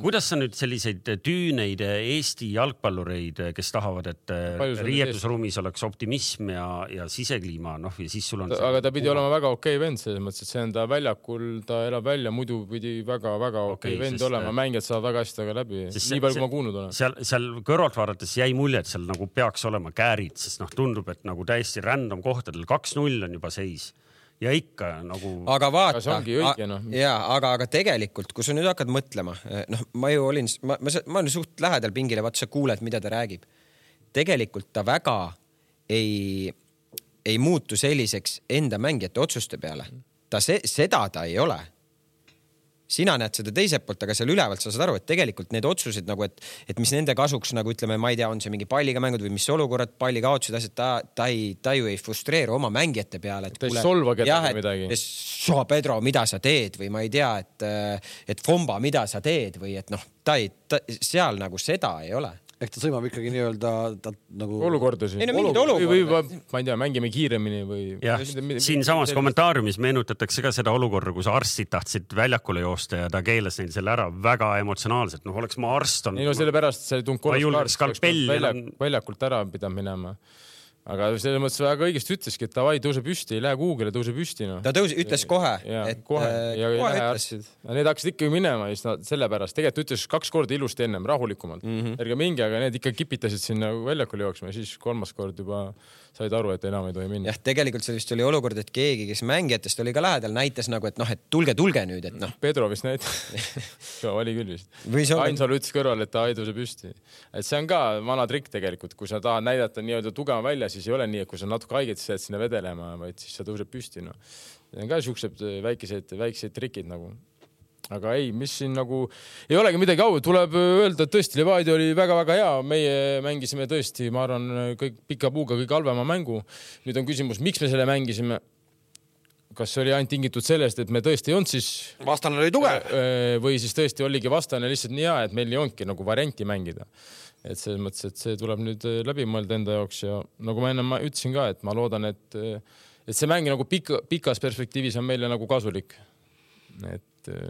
Kuidas sa nüüd selliseid tüüneid Eesti jalgpallureid, kes tahavad, et riietusruumis oleks optimism ja sisekliima, ja siis sul on... Aga ta pidi olema väga okei vend, selles mõttes, et see on ta väljakul, ta elab välja, muidu pidi väga okei vend olema, mängijad saavad väga hästi taga läbi. Nii palju, kui ma kuulnud olen. Seal kõrvalt vaadates jäi mulje, et seal nagu peaks olema käärid, sest tundub, et nagu täiesti random kohtadel 2-0 on juba seis. Ja ikka nagu... Aga vaata, see ongi õige, aga tegelikult, kui sa nüüd hakkad mõtlema, ma ju olin, ma olen suht lähedal pingile, vaata sa kuuled, mida ta räägib. Tegelikult ta väga ei muutu selliseks enda mängijate otsuste peale. Seda ta ei ole. Sina näed seda teiselt poolt, aga seal ülevalt sa saad aru, et tegelikult need otsused nagu, et mis nende kasuks nagu ütleme, ma ei tea, on see mingi palliga mängud või mis olukorrad, palli kaotused, asjad, ta ju ei frustreeru oma mängijate peale. Ta ei solva kedagi midagi. Pedro, mida sa teed või ma ei tea, et Fomba, mida sa teed või et ta seal nagu seda ei ole. Ehk ta sõimab ikkagi nii-öelda nagu... Olukordasid. Ei, mingid olukorda. Või ma ei tea, mängime kiiremini või... Jah, siin samas kommentaariumis meenutatakse ka seda olukorda, kus arstid tahtsid väljakule joosta ja ta keelas neil selle ära väga emotsionaalselt. Oleks ma arst on... Ei selle pärast see tund kolmas väljakult ära pidanud minema. Aga selles mõttes väga õigesti ütleski, et davai, tõuse püsti, ei lähe kuugele, tõuse püsti. Ta ütles kohe. Ja lähe arstid. Need hakkasid ikkagi minema selle pärast. Tegelikult ütles 2 korda ilusti ennem, rahulikumalt. Ärge mingi, aga need ikka kipitasid sinna väljakul jooksma ja siis 3. kord juba said aru, et enam ei tohi minna. Jah, tegelikult see vist oli olukord, et keegi, kes mängijatest oli ka lähedal, näitas nagu, et et tulge nüüd, et Pedro vist näitas. Oli küll vist. Ainsalu ütles kõrval, et ta ei tõuse püsti. Et see on ka vana trikk tegelikult, kui sa tahad näidata nii-öelda tugeva välja, siis ei ole nii, et kui sa natuke haiget, siis jääd sinna vedelema, vaid siis sa tõuseb püsti. See on ka siuksed väikseid trikid nagu. Aga ei, mis siin nagu ei olegi midagi au, tuleb öelda, et tõesti Levadia oli väga-väga hea, meie mängisime tõesti, ma arvan, kõik pika puuga kõik halvema mängu. Nüüd on küsimus, miks me selle mängisime? Kas see oli ainult tingitud sellest, et me tõesti ei olnud siis... Vastane oli tugev. Või siis tõesti oligi vastane lihtsalt nii hea, et meil ei olnudki nagu varianti mängida. Et selles mõttes, et see tuleb nüüd läbi mõelda enda jaoks ja nagu ma enne ütlesin ka, et ma loodan, et see mäng nagu pikas perspektiivis on meile nagu kasulik.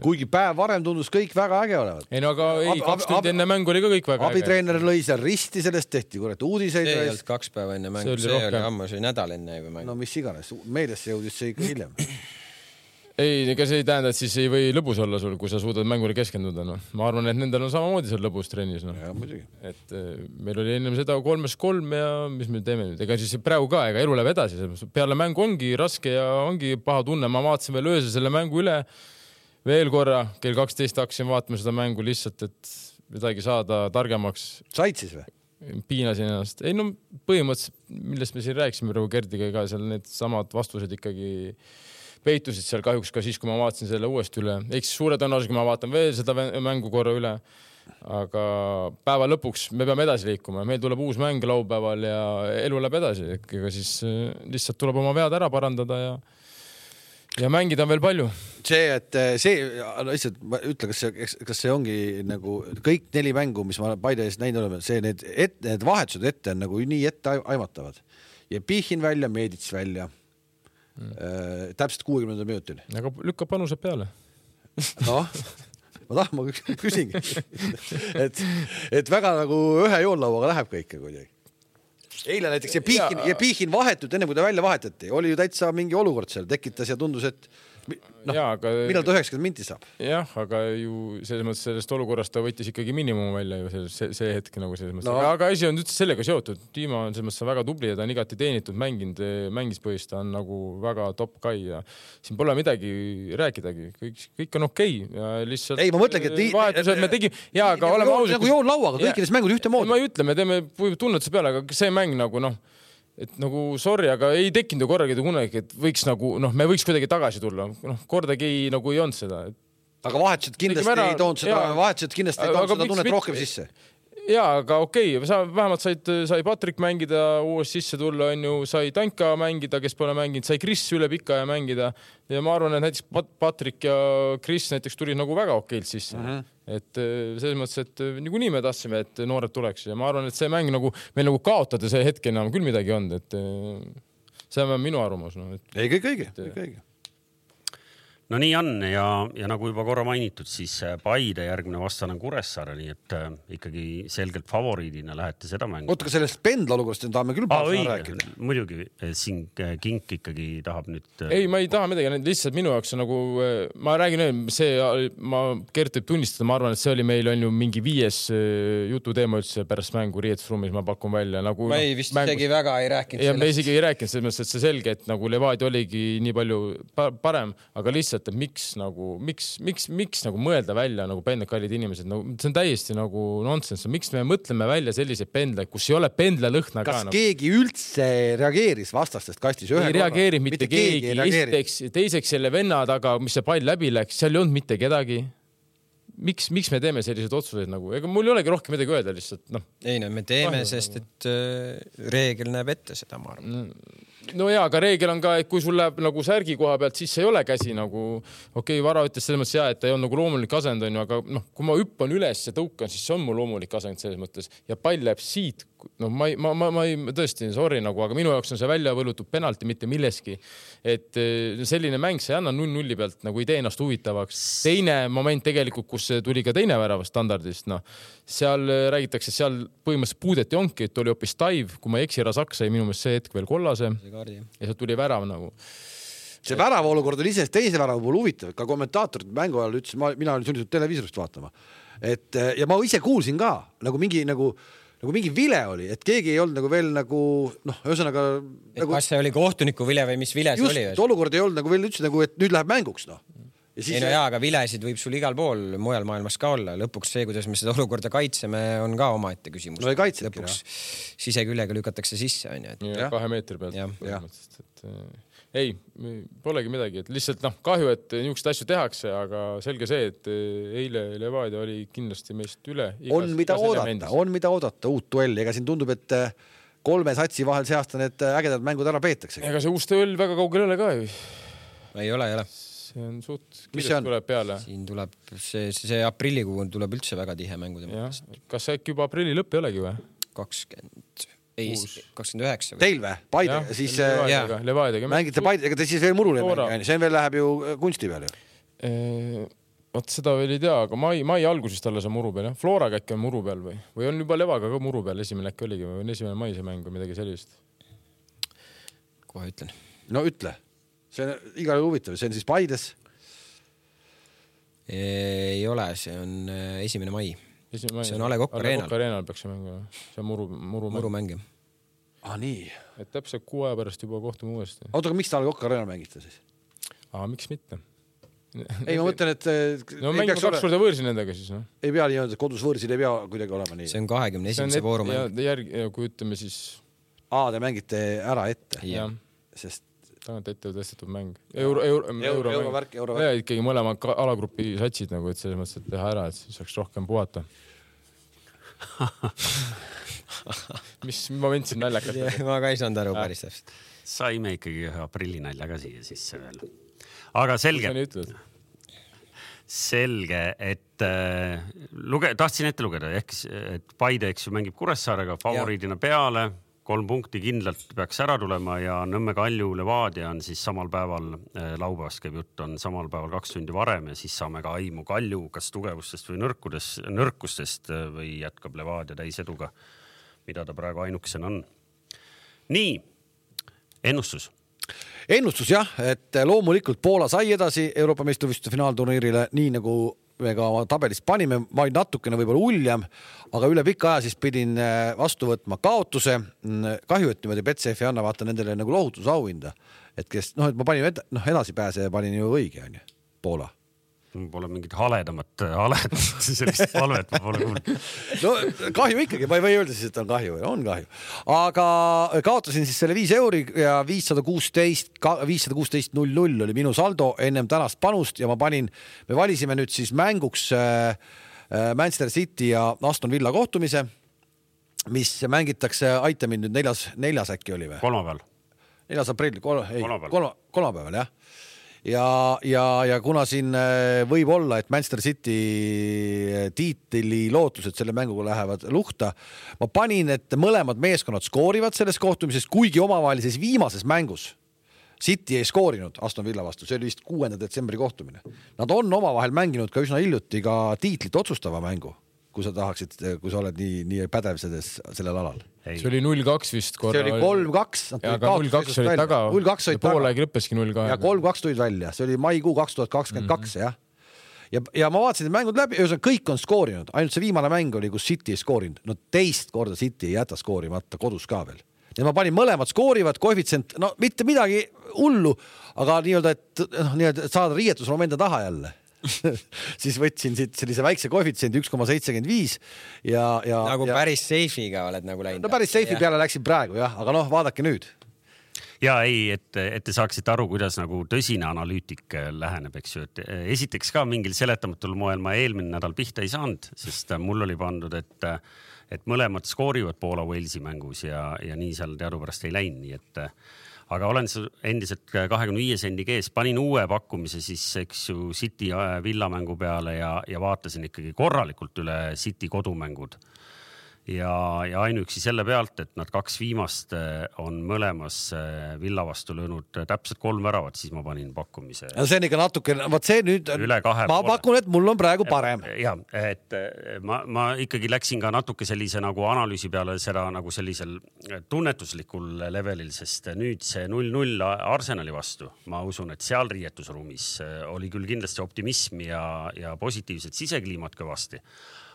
Kuigi päev varem tundus kõik väga äge olevat. Ei, no aga 2 tundi enne mängu oli ka kõik väga äge. Abitreener lõi seal risti, sellest tehti uudiseid. See ei olnud 2 päeva enne mängu, see oli ammu, see oli nädal enne. No mis iganes, meediasse jõudis see ikka hiljem. Ei, ega see ei tähenda, et siis ei või lõbus olla sul, kui sa suudad mängule keskenduda. No. Ma arvan, et nendel on samamoodi seal lõbus trennis. No. Ja, muidugi. Et meil oli ennem seda 3-3 ja mis me teeme nüüd? Ega siis praegu ka, ega elu läheb edasi. Peale mängu ongi raske ja ongi paha tunne. Ma vaatasin veel öösel selle mängu üle veel korra. Kell 12 hakkasin vaatama seda mängu lihtsalt, et midagi saada targemaks. Said siis või? Piinasin ennast. Ei, no põhimõtteliselt, millest me siin rääkisime praegu Gerdiga ka, seal need samad vastused ikkagi peitusid seal kahjuks ka siis, kui ma vaatasin selle uuesti üle. Eks suure tõenäoliselt, kui ma vaatan veel seda mängu korra üle. Aga päeva lõpuks me peame edasi liikuma. Meil tuleb uus mäng laupäeval ja elu läheb edasi. Ega siis lihtsalt tuleb oma vead ära parandada ja mängida on veel palju. Lihtsalt ma ütlen, kas see ongi nagu kõik 4 mängu, mis ma Paide ees näinud oleme, see need vahetused ette on nagu nii ette aimatavad. Ja Pihin välja, Meedits välja. Täpselt 60 minutil. Aga lükka panused peale. Noh, ma küsingi. et väga nagu ühe joollauaga läheb kõike kuidagi. Eile näiteks ja Pihin vahetult, enne kui ta välja vahetati, oli ju täitsa mingi olukord seal, tekitas ja tundus, et millal ta 90 minti saab? Jah, aga ju selles mõttes sellest olukorrast ta võttis ikkagi minimum välja ju see hetk nagu selles mõttes. Aga asi on üldse sellega seotud. Tiima on selles mõttes väga tubli ja ta on igati teenitud mängispõhist, ta on nagu väga top guy ja siin pole midagi rääkidagi. Kõik on okei. Ja lihtsalt ei, ma mõtlengi, et vahetused me tegime. Jaa, aga oleme ausad. Nagu joon lauaga, kõikides mängus ühte moodi. Ma ei ütle, me teeme tunnetuse peale, aga see mäng nagu et nagu sorry, aga ei tekkinud korragi kunagi, et võiks nagu, me võiks kuidagi tagasi tulla. Kordagi ei olnud seda. Aga vahetused kindlasti ei toonud seda tunnet rohkem sisse. Jaa, aga okei. Vähemalt sai Patrik mängida, uus sisse tulla, sai Tanka mängida, kes pole mänginud, sai Chris üle pika ja mängida. Ja ma arvan, et näiteks Patrik ja Chris näiteks tulid nagu väga okeilt sisse. Et selles mõttes, et nii me tahtsime, et noored tuleks. Ja ma arvan, et see mäng nagu, meil nagu kaotada see hetke enam küll midagi on. Et see on minu arvamus. Ei, kõik õige. No nii on ja nagu juba korra mainitud, siis Paide järgmine vastane on Kuressaare, nii et ikkagi selgelt favoriidina lähete seda mängu. Oota, ka sellest pendla olukorrast tahame küll rääkida. Muidugi, siin Kink ikkagi tahab nüüd... Ei, ma ei taha midagi, lihtsalt minu jaoks on nagu, ma räägin, Gert võib tunnistada, ma arvan, et see oli meil on ju mingi 5 jututeema üldse pärast mängu Riietusruumis, ma pakun välja. Nagu, ma ei vist isegi väga ei rääkinud sellest. Ja me isegi ei rääkinud selles mõttes, et see selge, et nagu Levadia oligi nii palju parem, aga lihtsalt et miks nagu mõelda välja nagu pendlekallid inimesed, nagu see on täiesti nagu nonsense. Miks me mõtleme välja selliseid pendleid, kus ei ole pendlalõhna ka? Kas keegi üldse reageeris vastastest kastis? Ei reageerinud mitte keegi. Teiseks selle venna taga, mis see pall läbi läks, seal ei olnud mitte kedagi. Miks me teeme selliseid otsuseid nagu? Ega mul ei olegi rohkem midagi öelda lihtsalt. Ei, me teeme, sest et reegel näeb ette seda, ma arvan. No jaa, aga reegel on ka, et kui sul läheb nagu särgi koha pealt, siis ei ole käsi nagu, Vara ütles selles mõttes et ta ei on nagu loomulik asend, aga kui ma hüppan üles ja tõukan, siis see on mu loomulik asend selles mõttes ja pall läheb siit. Ma ei tõesti, sorry nagu, aga minu jaoks on see välja võlutud penalti mitte milleski. Et selline mäng, see anna 0-0 pealt, nagu ei tee ennast huvitavaks. Teine moment tegelikult, kus tuli ka teine värava standardist, seal räägitakse, seal põhimõtteliselt puudeti onki, et oli hoopis Taiv, kui ma eksi, Rasak sai minu meelest see hetk veel kollase ja seal tuli värav nagu. See värava olukord oli ise teise värava puhul huvitav, ka kommentaatorid mängu ajal ütles, mina olin sunnitud televiisorist vaatama. Ja ma ise kuulsin ka, nagu mingi vile oli, et keegi ei olnud nagu veel nagu, ühesõnaga... Kas see oli kohtuniku vile või mis vile see oli? Just, olukord ei olnud nagu veel üldse nagu, et nüüd läheb mänguks, aga vilesid võib sul igal pool mujal maailmas ka olla. Lõpuks see, kuidas me seda olukorda kaitseme, on ka omaette küsimus. No ei kaitsedki, lõpuks siseküljega lükatakse sisse. Ja 2 meetri pealt. Ei, polegi midagi. Et lihtsalt kahju, et niisugust asju tehakse, aga selge see, et eile Levadia oli kindlasti meist üle. On mida oodata, uut duelli. Ega siin tundub, et 3 satsi vahel see aasta need ägedad mängud ära peetakse. Ega see uus duell väga kaugel ei ole ka ju. Ei ole. See on suht kiirelt tuleb peale. Siin tuleb see aprillikuu tuleb üldse väga tihe mängu. Kas see juba aprilli lõpp ei olegi või? 29. Teil või? Paide, siis Levaadiaga. Mängite Paide, ega te siis veel murule mängi. See veel läheb ju kunsti peal ju. Vot seda veel ei tea, aga mai algusest alles on muru peal. Floraga äkki on muru peal või on juba Levaga ka muru peal, esimene äkki oligi või on 1. mai see mäng või midagi sellist? Kohe ütlen. No ütle. See on igal huvitav, see on siis Paides. Ei ole, see on 1. mai. See on A. Le Coq Areenal peaks see mängima. See on murumäng. Nii. Et täpselt 6 aja pärast juba kohtume uuesti. Oota, aga miks ta A. Le Coq Areenal mängite siis? Miks mitte? Ei, ma mõtlen, et... No mängime 2 korda võõrsi nendega siis, no? Ei pea nii, kodus võõrsil ei pea kuidagi olema nii. See on 21. voorumäng. Ja kui ütleme siis... Te mängite ära ette. Jah. Sest... Tagant ette tõstetud mäng. Eurovärk. Ja ikkagi mõlema alagrupi satsid nagu, et selles mõttes, et teha ära, et siis saaks rohkem puhata. Mis moment siin naljakat? Ma ka ei saanud aru päris täpselt. Saime ikkagi ühe aprillinalja ka siia sisse veel. Aga selge, et tahtsin ette lugeda, et Paide mängib Kuressaarega favoriidina peale, 3 punkti kindlalt peaks ära tulema ja Nõmme Kalju Levadia on siis samal päeval, laupäevast käib jutt, on samal päeval 2 tundi varem ja siis saame ka aimu Kalju kas tugevustest või nõrkustest või jätkab Levadia täiseduga, mida ta praegu ainukesena on. Nii, ennustus jah, et loomulikult Poola sai edasi Euroopa meistrivõistluste finaalturniirile, nii nagu me ka tabelis panime, vaid natukene võib-olla uljem, aga üle pika aja siis pidin vastu võtma kaotuse. Kahju, et niimoodi Betsafe ei anna vaata nendele nagu lohutusauhinda, et kes, et ma panin edasi pääse ja panin ju õige, on ju, Poola. Pole mingit haledamat sellist palvet, ma pole kuulnud. No kahju ikkagi, ma ei või öelda siis, et on kahju. Aga kaotasin siis selle 5 euri ja 516 0-0 oli minu saldo ennem tänast panust ja me valisime nüüd siis mänguks Manchester City ja Aston Villa kohtumise, mis mängitakse, aita mind nüüd 4. äkki oli või? Kolmapäeval. 4. aprill, kolmapäeval, jah. Ja kuna siin võib olla, et Manchester City tiitli lootused selle mänguga lähevad luhta, ma panin, et mõlemad meeskonnad skoorivad selles kohtumises, kuigi omavahelises viimases mängus City ei skoorinud Aston Villa vastu, see oli vist 6. detsembri kohtumine. Nad on omavahel mänginud ka üsna hiljuti ka tiitlit otsustava mängu, kui sa oled nii pädev sellel alal. See oli 0-2 vist korra. See oli 3-2. Aga 0-2 oli taga. Poole lõppeski 0-2. Ja 3-2 tulid välja. See oli maikuu 2022, jah. Ja ma vaatasin mängud läbi, kõik on skoorinud. Ainult see viimane mäng oli, kus City ei skoorinud. No teist korda City ei jäta skoorimata kodus ka veel. Ja ma panin mõlemad skoorivad, koefitsient, mitte midagi hullu, aga nii-öelda, et saada riietusmomente taha jälle. Siis võtsin siit sellise väikse koefitsiendi 1,75 ja nagu päris seifiga oled nagu läinud. No päris seifi peale läksin praegu, jah, aga vaadake nüüd. Ja ei, et te saaksite aru, kuidas nagu tõsine analüütik läheneb, eks ju, et esiteks ka mingil seletamatul moel ma eelmine nädal pihta ei saanud, sest mul oli pandud, et mõlemad skoorivad Poola Walesi mängus ja nii seal teadupärast ei läinud, nii et aga olen endiselt 25 sendi kees, panin uue pakkumise siis, eks ju, City Villa mängu peale ja vaatasin ikkagi korralikult üle City kodumängud. Ja ainuüksi selle pealt, et nad 2 viimast on mõlemas Villa vastu löönud täpselt 3 väravat, siis ma panin pakkumise. Ja see on ikka natuke, see nüüd, ma pakun, et mul on praegu parem. Ja, et ma ikkagi läksin ka natuke sellise nagu analüüsi peale seda nagu sellisel tunnetuslikul levelil, sest nüüd see 0-0 Arsenali vastu, ma usun, et seal riietusruumis oli küll kindlasti optimismi ja positiivsed sisekliimad kõvasti.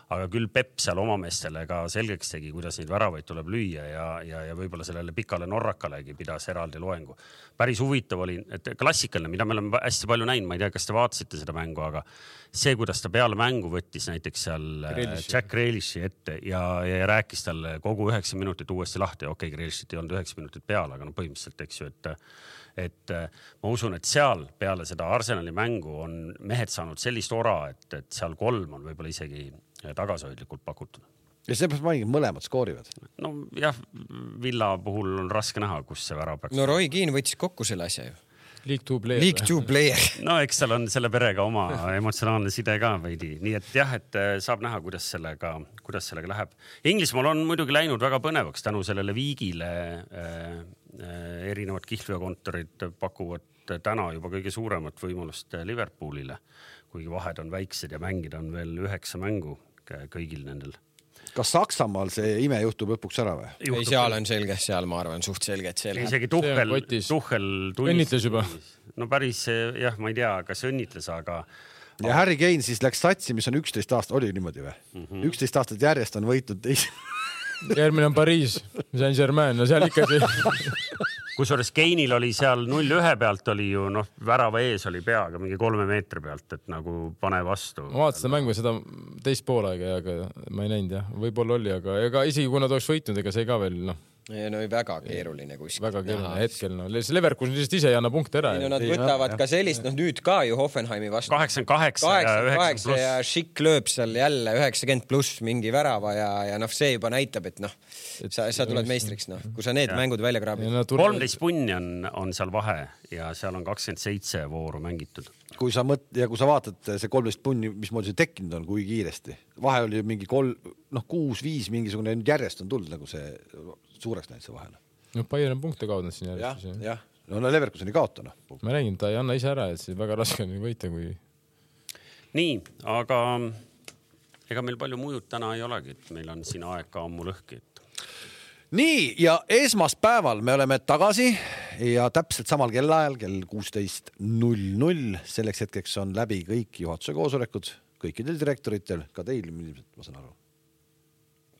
Aga küll Pep seal oma meestele ka selgeks tegi, kuidas neid väravaid tuleb lüüa ja võib-olla sellele pikale norrakalegi pidas eraldi loengu. Päris huvitav oli, et klassikaline, mida me oleme hästi palju näinud, ma ei tea, kas te vaatasite seda mängu, aga see, kuidas ta peale mängu võttis näiteks seal Jack Grealishi ette ja rääkis talle kogu 9 minutit uuesti lahti. Okei, Grealishit ei olnud 9 minutit peale, aga põhimõtteliselt, eks ju, et ma usun, et seal peale seda Arsenali mängu on mehed saanud sellist ora, et seal 3 on võib-olla isegi tagasihoidlikult pakutud. Ja see peaks mainiga mõlemad skoorivad? No jah, Villa puhul on raske näha, kus see värav peaks. No Roy Keane võttis kokku selle asja ju. League 2 player. No eks seal on selle perega oma emotsionaalne side ka veidi. Nii et jah, et saab näha, kuidas sellega läheb. Inglismaal on muidugi läinud väga põnevaks tänu sellele viigile. Erinevad kihlveokontorid pakuvad täna juba kõige suuremat võimalust Liverpoolile, kuigi vahed on väiksed ja mängida on veel 9 mängu kõigil nendel. Kas Saksamaal see ime juhtub lõpuks ära või? Ei, seal on selge, seal ma arvan suht selge, et see läheb. Isegi Tuhhel õnnitles juba. No päris, jah, ma ei tea, kas õnnitles, aga ja Harry Kane siis läks satsi, mis on 11 aastat, oli niimoodi või? 11 aastat järjest on võitnud järgmine on Pariis, Saint-Germain, no seal ikka see. Kusjuures Kane'il oli seal 0-1 pealt oli ju värava ees oli peaga mingi 3 meetri pealt, et nagu pane vastu. Ma vaatasin seda mängu seda teist poolaega, aga ma ei näinud jah, võib-olla oli, aga isegi kui nad oleks võitnud, ega see ka veel No väga keeruline kuskil. Väga keeruline hetkel. Leverkusen lihtsalt ise ei anna punkte ära. Nad võtavad ka sellist, nüüd ka ju Hoffenheimi vastu. 88 ja 90 pluss. Ja Schick lööb seal jälle 90 pluss mingi värava ja see juba näitab, et sa tuled meistriks. Kui sa need mängud välja kraabid. 13 punni on seal vahe ja seal on 27 vooru mängitud. Kui sa vaatad see 13 punni, mismoodi see tekkinud on, kui kiiresti. Vahe oli mingi 6-5 mingisugune järjest on tulnud nagu see suureks näinud see vahel. Bayern on punkte kaotanud siin järjest. Jah. No Leverkuseni kaotanud. Ma räägin, ta ei anna ise ära, et see väga raske on võita, kui... Nii, aga ega meil palju mujud täna ei olegi, et meil on siin aeg ka ammu lõhki. Nii, ja esmaspäeval me oleme tagasi ja täpselt samal kellaajal, kell 16.00. Selleks hetkeks on läbi kõik juhatuse koosolekud, kõikidel direktoritel, ka teil, ma saan aru.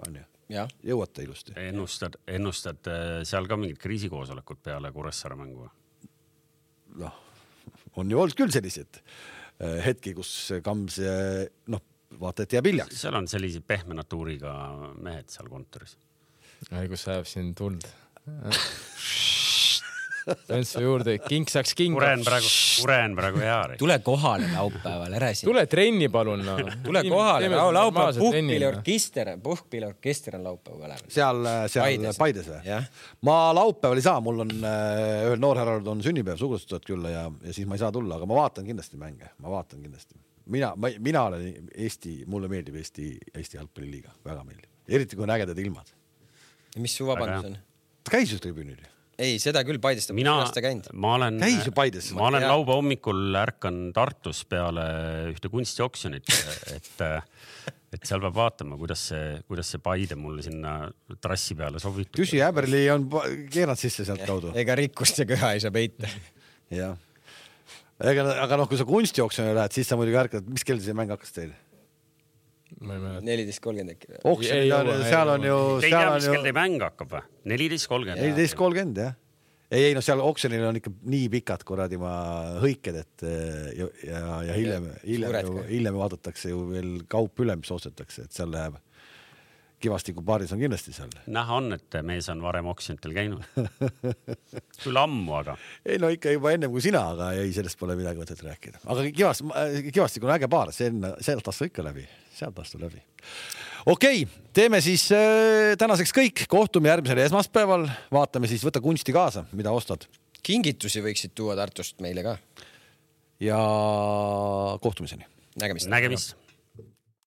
On ju? Ja. Jõuate ilusti. Ennustad seal ka mingid kriisikoosolekud peale Kuressaare mängu? On ju olnud küll sellised hetki, kus Kams vaata, et jääb hiljaks. Seal on sellised pehme natuuriga mehed seal kontoris. Kus sajab siin tuld. Pöntsu juurde, king saaks king. Kuren praegu hea. Tule kohale laupäeval, ära siin. Tule trenni palun. Tule kohale, laupäeval puhkpilliorkester on laupäeval. Seal Paides või? Ma laupäeval ei saa, mul on ühel noorherrald on sünnipäev, sugustustad küll ja siis ma ei saa tulla, aga ma vaatan kindlasti mänge. Mina olen mulle meeldib Eesti jalgpalliliiga, väga meeldib. Eriti kui on ägedad ilmad. Ja mis su vabandus on? Käis ju tribüünil. Ei, seda küll Paidest. Ma olen lauba hommikul ärkan Tartus peale ühte kunstioksjonit, et seal peab vaatama, kuidas see Paide mulle sinna trassi peale sobitud. Küsi Äberli on keeranud sisse sealt kaudu. Ega rikkust ja köha ei saa peita. Jah. Aga kui sa kunstioksjonile lähed, siis sa muidugi ärkad, mis kell see mäng hakkas teil? 14.30 äkki. Seal on ju... Te ei tea, mis kell teie mäng hakkab või? 14.30. 14.30, jah. Ei, seal oksjonil on ikka nii pikad kuradi hõiked, et ja hiljem vaadatakse ju veel kaup üle, mis ostetakse, et seal läheb Kivastiku baaris on kindlasti seal. Näha on, et mees on varem oksjonitel käinud. Küll ammu, aga. Ei, no ikka juba ennem kui sina, aga ei, sellest pole midagi võtet rääkida. Aga Kivastik on äge baar, sealt astu ikka läbi. Sealt astu läbi. Okei, teeme siis tänaseks kõik. Kohtume järgmisel esmaspäeval. Vaatame siis, võta kunsti kaasa, mida ostad. Kingitusi võiksid tuua Tartust meile ka. Ja kohtumiseni. Nägemist. Nägemist.